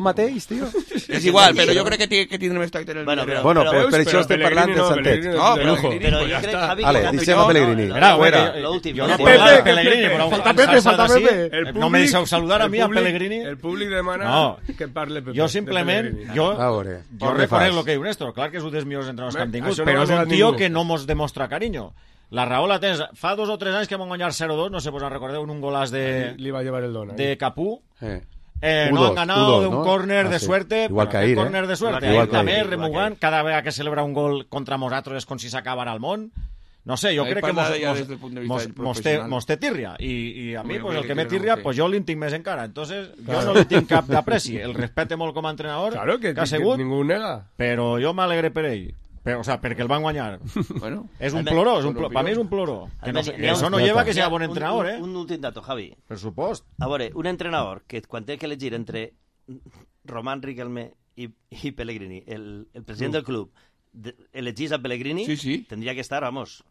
lo mateix, tio? És igual, però jo crec que, t- que tindrem més tracte en el Bueno, Villarreal. Bueno, Però- pues per Però això estem Pellegrini parlant de no, Santet. Pellegrini No, de però lujo. Pellegrini, Però pues jo ja crec, està. Javi, Vale, que deixem a no, Pellegrini. no, Mira, Fuera. lo últim. Yo lo no últim. puedo hablar de Pepe, Pellegrini, Pepe, pero falta al Pepe, Barça falta así, Pepe. eh, no me deixeu saludar a mi, a públic- Pellegrini. El públic demana No. que parle Pepe. Jo de simplement, Pellegrini. jo, A veure, jo com reconec fas? el que diu Néstor. Clar que és un dels millors entrenadors que hem Bé, tingut, això no però ho és ha un negat tio ningú. que no mos demostra carinyo. La raó la tens. Fa dos o tres anys que vam guanyar zero dos, no sé, vos en recordeu, en un golàs de, Li va llevar el dona. de Capú. Eh. Eh, U no dos, han ganado U dos, de un ¿no? córner Ah, de sí. suerte. Igual però que aquest ahir, córner eh? de suerte. Igual Ahir que també, ahir. remugant, cada vegada que celebra un gol contra nosaltres és com si s'acabara el món. No sé, jo Ahí crec que parla mos, ja mos, des del punt de vista mos, del mos, té, professional. mos té tirria. I, i a mi, Hombre, pues, el que que me tirria tirria, no té. pues jo li tinc més encara. Entonces, Claro. jo no li tinc cap d'apreci. El respecte molt com a entrenador, Claro, que, que ha que sigut, ningú nega. però jo m'alegre per ell. Però, o sea, perquè el van guanyar. Bueno, és un Almenys- ploró, és un ploró. Per mi és un ploró. Que no, Almenys que hi ha això un- no lleva que hi ha sea bon un- entrenador, un, eh? Un últim dato, Javi. Per supost. A veure, un entrenador que quan té que elegir entre Román Riquelme i, i Pellegrini, el, el president del club, de, elegís a Pellegrini, Sí, sí. tendria que estar, vamos,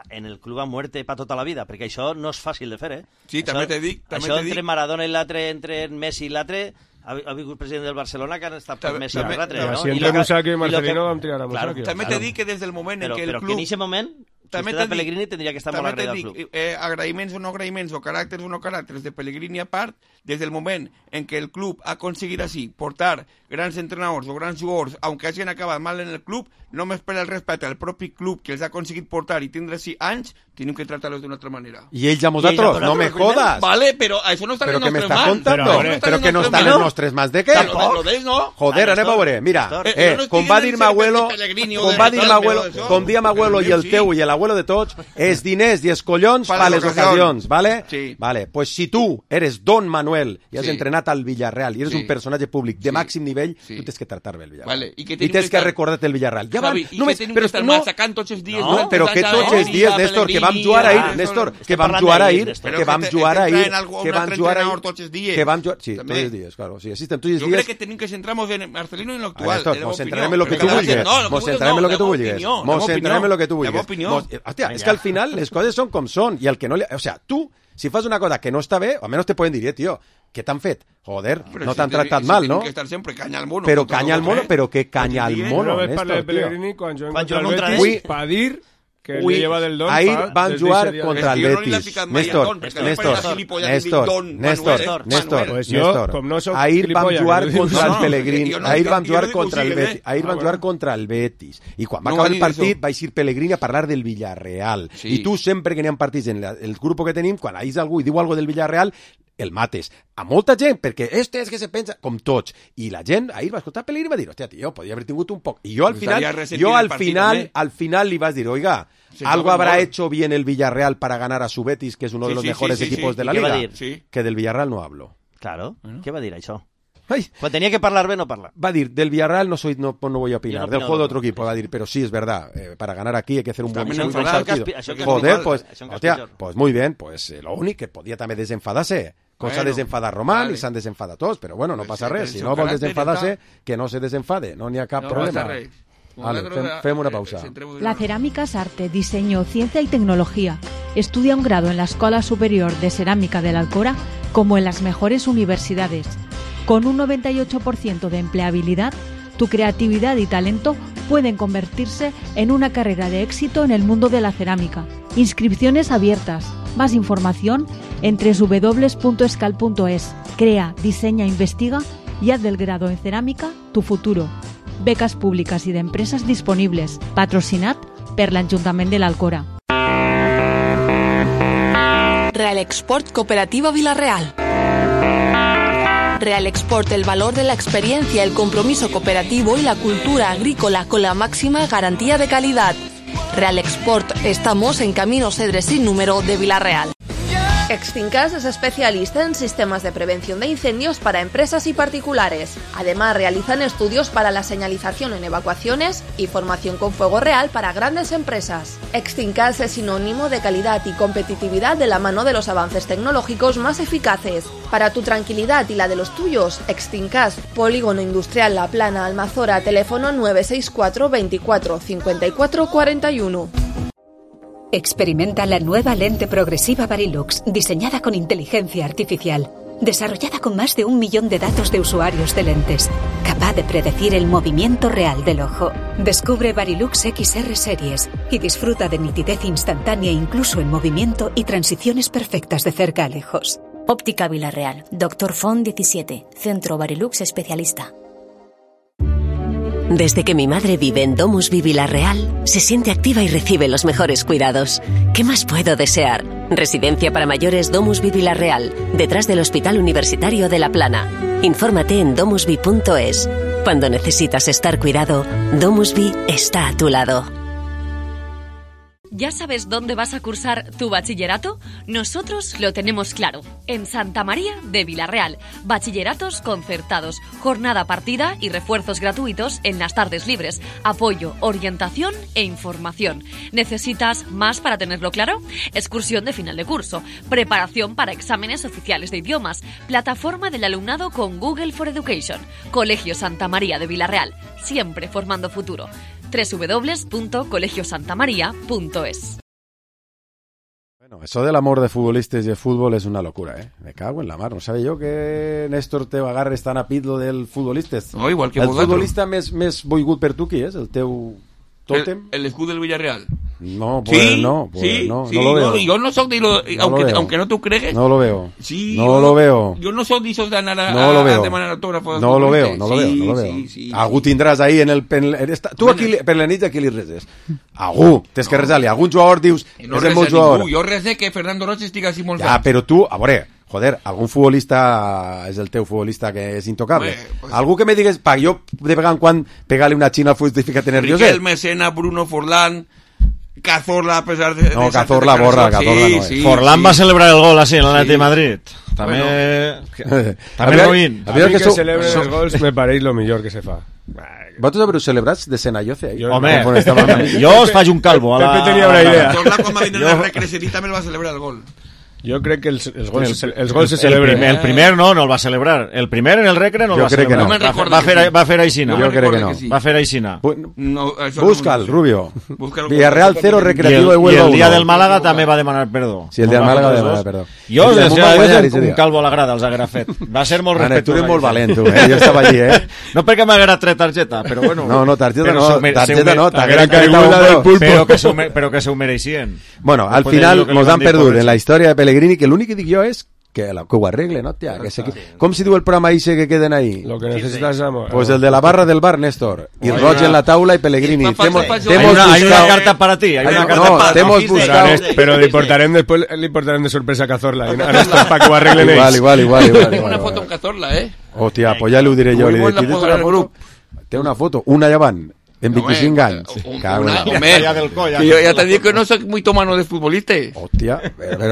en el club a muerte per tota la vida, perquè això no és fàcil de fer, eh? Sí, això, també te dic, també Això te entre dic. Maradona i l'altre, entre Messi i l'altre, ha, ha vingut president del Barcelona que han estat per També- Messi i també- l'altre, també- no? si I entre lo que- Musacchio i i lo que- Marcelino vam tirar a Claro, Musacchio. També claro. te dic que des del moment en Però, què el però club... que en aquest moment, si També usted te era Pellegrini, tindria que estar molt també te agraït al dic, club. eh, agraïments o no agraïments, o caràcters o no caràcters de Pellegrini a part, des del moment en què el club ha aconseguit així portar grans entrenadors o grans jugadors, aunque hagin acabat mal en el club, només per el respecte al propi club que els ha aconseguit portar i tindre així anys, tenim que tractar-los d'una altra manera. I ells a vosaltres, no me jodas. Vale, però això no està Però en que els me nostres estàs mans. contando, Però, però, no que no està estan en en els nostres mans de què? Tampoc. Lo d'ells, no. Joder, anem a veure, mira, Eh, eh, jo no estic com va dient dir ser m'abuelo, de Pellegrini o com de va dir Riquelme m'abuelo, o d'això. com dia m'abuelo i el Sí. teu i l'abuelo de tots, és diners i els collons Pa pa les les ocasions. ocasions, ¿vale? Sí. Vale, pues si tu eres Don Manuel i has Sí. entrenat al Villarreal i eres Sí. un personatge públic de Sí. màxim nivell, Sí. tu tens que tractar bé el Villarreal. Vale, i que I tenim tens que que estar- recordar-te el Villarreal. Ja van, Javi, i només, que tenim però que estar no, massacant tots els dies. no, però que tots els dies, Néstor, que vam jugar ahir, Néstor, que vam jugar ahir, que vam jugar ahir, que vam jugar ahir, tots els dies. que vam jugar, sí, També. tots els dies, claro, sí, existen tots els Jo dies. crec que tenim que centrar-nos en Marcelino i en Ah, l'actual. Néstor, en la mos meva centrarem opinió. en lo que Però tu cada vulguis. gent- no, lo que Mos vulguis centrarem no, en lo que la tu meva vulguis. opinió, la Mos meva centrarem en lo que tu opinió, la vulguis. meva Mos- opinió. Hòstia, és que al final les coses són com són i el que no li... O sea, tu, si fas una cosa que no està bé, almenys te poden dir, eh, tio, què t'han fet? Joder, Però no si t'han te- tractat si mal, tenim no? que estar sempre canya al mono. Però contra canya al nosaltres, mono, eh? però que canya al Tots els mono, Una vez parla de Néstor, tio. Pellegrini quan jo Quan contra el jo contra Betis ell. pa dir que el Ui, lleva del don ahir fa van des jugar d'eixe dia. contra el És que jo no li he Betis. ficat mai a Néstor, don, perquè Néstor, no Néstor, parla gilipollas, Néstor, dic don, Néstor, Manuel, Néstor, Manuel. Pues jo, Néstor. com no soc Ahir vam gilipollas, jugar que no dic contra no, el Pellegrini, jo no ahir dic- vam jo jugar no dic contra el que ho sigui, Betis, eh? ahir Ah, vam bueno. jugar contra el Betis. I quan va No acabar va el dir partit això. vaig ir Pellegrini a parlar del Villarreal. Sí. I tu sempre que n'hi ha partits en la- el grup que tenim, quan ahís algú i diu algo del Villarreal, el mates. A molta gent, perquè este és que se pensa, com tots. I la gent ahir va escoltar Pellegrini i va dir, hòstia, tio, podria haver tingut un poc. I jo al Pues final, estaria resentint jo el al partit, final, també. al final li vas dir, oiga, Sí, algo no, habrá no. hecho bien el Villarreal para ganar a su Betis, que es uno Sí, de los sí, mejores sí, sí, equipos sí. de la ¿Y qué va a liga. dir? Sí. Que del Villarreal no hablo. Claro, què va dir això? Ai, Quan tenia que parlar bé, no parla. va a decir, del Villarreal no soy no, no voy a opinar, Yo no del opino juego de de otro otro. equipo, va a decir, pero sí es verdad, eh, para ganar aquí hay que hacer un buen, También un buen enfadar, partido. que es pi- això que es Joder, normal, pues, això que es hostia, pitjor. pues muy bien, pues eh, lo único que podía también desenfadarse. Cosa Bueno, desenfadar Román vale. y s'han desenfadat tots, però bueno, no Pues passa sí, res. el Si seu no vol caràcter desenfadar-se, està- que no se desenfade, no n'hi ha cap No problema. passa res. Vale, Nosaltres, fem, fem una eh, pausa. centrem-nos La en- cerámica es arte, diseño, ciencia y tecnología. Estudia un grado en la Escuela Superior de Cerámica de la Alcora como en las mejores universidades. Con un noventa y ocho por ciento de empleabilidad, tu creatividad y talento pueden convertirse en una carrera de éxito en el mundo de la cerámica. Inscripciones abiertas. Más información en doble u doble u doble u punto escal punto es. Crea, diseña, investiga y haz del grado en cerámica tu futuro. Becas públicas y de empresas disponibles. Patrocinat per l'Ajuntament de l'Alcora. Real Export Cooperativa Villarreal. Real Export, el valor de la experiencia, el compromiso cooperativo y la cultura agrícola con la máxima garantía de calidad. Real Export, estamos en Camino Cedres sin número de Villarreal. Extincas es especialista en sistemas de prevención de incendios para empresas y particulares. Además, realizan estudios para la señalización en evacuaciones y formación con fuego real para grandes empresas. Extincas es sinónimo de calidad y competitividad de la mano de los avances tecnológicos más eficaces. Para tu tranquilidad y la de los tuyos, Extincas, Polígono Industrial La Plana, Almazora, teléfono nueve seis cuatro veinticuatro cincuenta y cuatro cuarenta y uno. Experimenta la nueva lente progresiva Varilux, diseñada con inteligencia artificial, desarrollada con más de un millón de datos de usuarios de lentes, capaz de predecir el movimiento real del ojo. Descubre Varilux X R Series y disfruta de nitidez instantánea incluso en movimiento y transiciones perfectas de cerca a lejos. Óptica Villarreal. Doctor Font diecisiete. Centro Varilux Especialista. Desde que mi madre vive en Domusvi Vilarreal, se siente activa y recibe los mejores cuidados. ¿Qué más puedo desear? Residencia para mayores Domusvi Vilarreal, detrás del Hospital Universitario de La Plana. Infórmate en domusvi punto es. Cuando necesitas estar cuidado, Domusvi está a tu lado. ¿Ya sabes dónde vas a cursar tu bachillerato? Nosotros lo tenemos claro. En Santa María de Vilarreal. Bachilleratos concertados, jornada partida y refuerzos gratuitos en las tardes libres. Apoyo, orientación e información. ¿Necesitas más para tenerlo claro? Excursión de final de curso. Preparación para exámenes oficiales de idiomas. Plataforma del alumnado con Google for Education. Colegio Santa María de Vilarreal. Siempre formando futuro. doble u doble u doble u punto colegio santa maría punto es. Bueno, eso del amor de futbolistas y de fútbol es una locura, ¿eh? Me cago en la mar. No sabia jo que Néstor Teo agarra tan a pit lo del futbolistes. No, igual que el vosaltres. futbolista més, més volgut per tu qui és? El teu tòtem? El, el escudo del Villarreal. No, pues sí, no, pues sí, no, sí, no lo veo. No, yo no soy de lo, no aunque, lo aunque no tú crees. No lo veo. Sí, no yo, lo veo. Yo no soy de esos de anar a, no lo veo. a demanar autógrafos. No lo veo, no lo sí, veo, no lo veo. Sí, sí, algú tindràs ahí en el... En, en esta, tu aquí, per la nit aquí li reses. Algú, tens no. que resar-li. Algun jugador dius, no és el meu jugador. Jo resé que Fernando Roig estigui així molt ja, fent. Però tu, a veure, joder, algun futbolista és el teu futbolista que és intocable. Bé, pues, algú que me digues, pa, jo de vegada en quan pegar-li una xina al futbolista fica nervioset. Riquel Messena, Bruno Forlán... Cazorla a pesar de... No, de Cazorla borra, sí, Cazorla no és. Sí, Forlán sí. va celebrar el gol así en l'Atlètic sí. de Madrid. També... Bueno. També Robin. A mí que, que celebren so... els gols me pareix lo millor que se fa. Vosaltres haureu celebrats de Senayoce ahí? Home, jo us faig un calvo. A la... Pepe tenia una idea. Cazorla quan va vindre la recreacionista me el va celebrar el gol. Jo crec que els, els, gols, el, els gols se el celebren. Primer, el primer no, no el va celebrar. El primer en el recre no el jo va celebrar. No. Va, va, va, fer, va fer aixina. Jo crec que no. Sí. Va fer aixina. No, Busca'l, no Rubio. Villarreal cero, Recreativo de Huelva uno. I el dia uno. del Màlaga també va demanar perdó. Sí, el dia del Màlaga va demanar perdó. Jo, des de un calvo a la grada els haguera fet. Va ser molt respectuós. Tu eres molt valent, tu, eh? Jo estava allí, eh? No perquè m'haguera tret targeta, però bueno... No, no, targeta no, targeta no, t'haguera caiguda del pulpo. Però que s'ho mereixien. Bueno, al final nos han perdut en la història de Pellegrini, que l'únic que dic jo és que, la, que ho arregle, no, tia? Que se, que, com si diu el programa ese que queden ahí? Lo que necesitas es amor. Pues el de la barra del bar, Néstor. Y Roig en la taula y Pellegrini. Temos, hay, una, hay una carta para ti. Hay una carta no, para ti. Hemos buscado... Pero le importarem después, le importarem de sorpresa a Cazorla. A Néstor, para que ho arreglen ells. Igual, igual, igual. Tengo una foto amb Cazorla, eh? Hòstia, pues ja l'ho diré jo. Té una foto, una llevant. En veinticinco años. Una, hombre, que yo ya te digo que no soy muy tomano de futbolista. Hostia.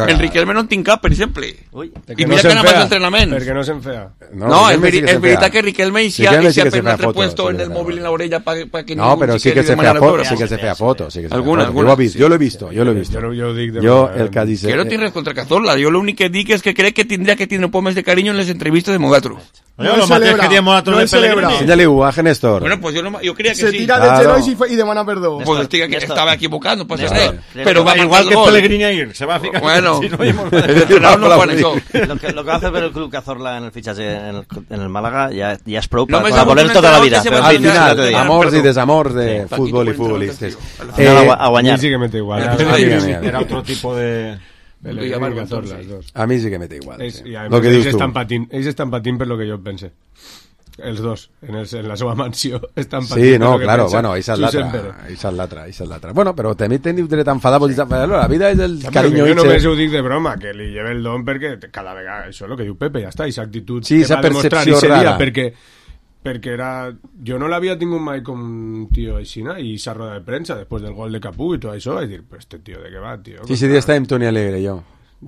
Enrique Elme no en tinc cap, per exemple. Uy, I mira que anava als entrenaments. Perquè no s'enfea. No, no és, veri, és veritat que Riquelme hi ha apenas repuesto en el móvil en la orella para pa que no, pero sí que se fea foto, sí que se fea foto, sí que se alguna, foto. Yo, visto, yo lo he visto, yo lo he visto. Yo, yo, dic de yo el que dice... Yo no tinc res contra Cazorla, yo lo único que dic és que crec que tindria que tindre un poc més de cariño en les entrevistes de Mogatro. No, no, lo mateix que diem Mogatro de Pellegrini. Enséñale-ho a Néstor. Bueno, pues yo, no, yo creía que se sí. Se tira del genoll y demana perdó. Pues estic, estaba equivocado, no pasa nada. Pero va igual que Pellegrini ayer, se va a fijar. Bueno, si no, el entrenador no juega eso. Lo que, lo que va a hacer el club Cazorla en el fichaje en el, en el Málaga ya, ya es pro no para, para volver toda la vida. Al final, amors i desamors de sí, fútbol y futbolistes. Eh, a guanyar. Sí que mete igual. Era otro tipo de... A mi sí que mete igual. És, sí. Lo que dius tu. Patint, ells estan patint per lo que jo pense. Els dos, en, el, en la seva mansió estan patint. Sí, no, claro, bueno, esa es l'altra, esa es l'altra, esa es l'altra. Bueno, però també teniu dret a enfadar, la vida és el ja, cariño. Jo només ho dic de broma, que li lleve el don perquè cada vegada, això és el que diu Pepe, ja està, aquesta actitud sí, que va demostrar i seria, perquè, perquè era... Jo no l'havia tingut mai com un tio aixina i esa roda de premsa, després del gol de Capú i tot això, vaig dir, pues este tio de què va, tio? Sí, ese dia estava amb Toni Alegre, jo.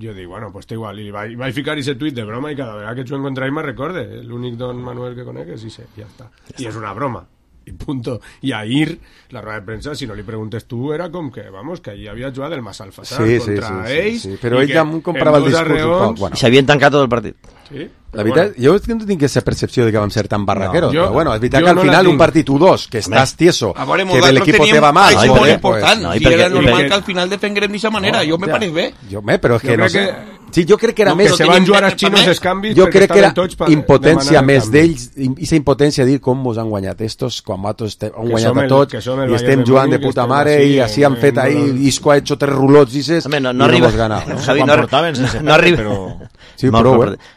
Jo dic, bueno, pues té igual, i vaig, vaig ficar ese tuit de broma i cada vegada que t'ho encontraré me recorde, l'únic don Manuel que conegues i sé, ja està. I és una broma, i punto. I ahir, la roda de premsa, si no li preguntes tu, era com que, vamos, que allí havia jugat el Massalfassar sí, contra sí, sí, ells, sí, sí. Però ell ja em comprava el discurs un poc. Bueno. I s'havien tancat tot el partit. Sí? La veritat, bueno. Jo no tinc aquesta percepció de que vam ser tan barraqueros, no, jo, però bueno, és veritat que al no final un partit u dos, que estàs tieso, veure, que el equipo te va mal, és no, molt important, pues, no, i si era normal que al final defenguem d'aquesta manera, no, jo me pareix bé. Jo, me, però és que no sé... Sí, jo crec que era no, més... Que se van jugar els xinos els canvis... Jo crec que era impotència més d'ells, i aquesta impotència de dir com mos han guanyat estos, quan nosaltres han guanyat a tots, i estem jugant de puta mare, i així han fet ahí, Isco ha hecho tres rulots, dices, i no hemos ganado. Javi, no portaven sense no arriba... Sí, prou, eh?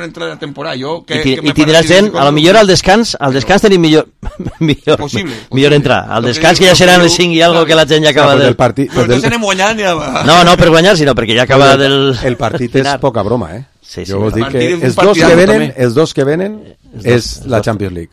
millor entrada de la temporada. Jo, que, I, ti, que i tindràs gent, a lo millor al descans, al descans tenim millor, millor, possible, millor entrar. Al descans que ja seran les cinc i algo que la gent ja acaba del... Però no se n'hem guanyat ni... No, no per guanyar, sinó perquè ja acaba del... El partit és poca broma, eh? Sí, sí. Jo vos dic que els dos que venen, els dos que venen és la Champions League.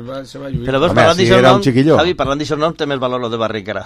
va, se va lluir. Però veus, Home, parlant si d'això era un nom, chiquillo. Javi, parlant d'això nom, té més valor lo de Barric ara.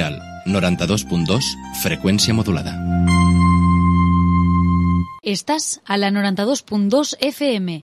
Vila-real, noranta-dos punt dos, freqüència modulada. Estàs a la noranta-dos punt dos F M.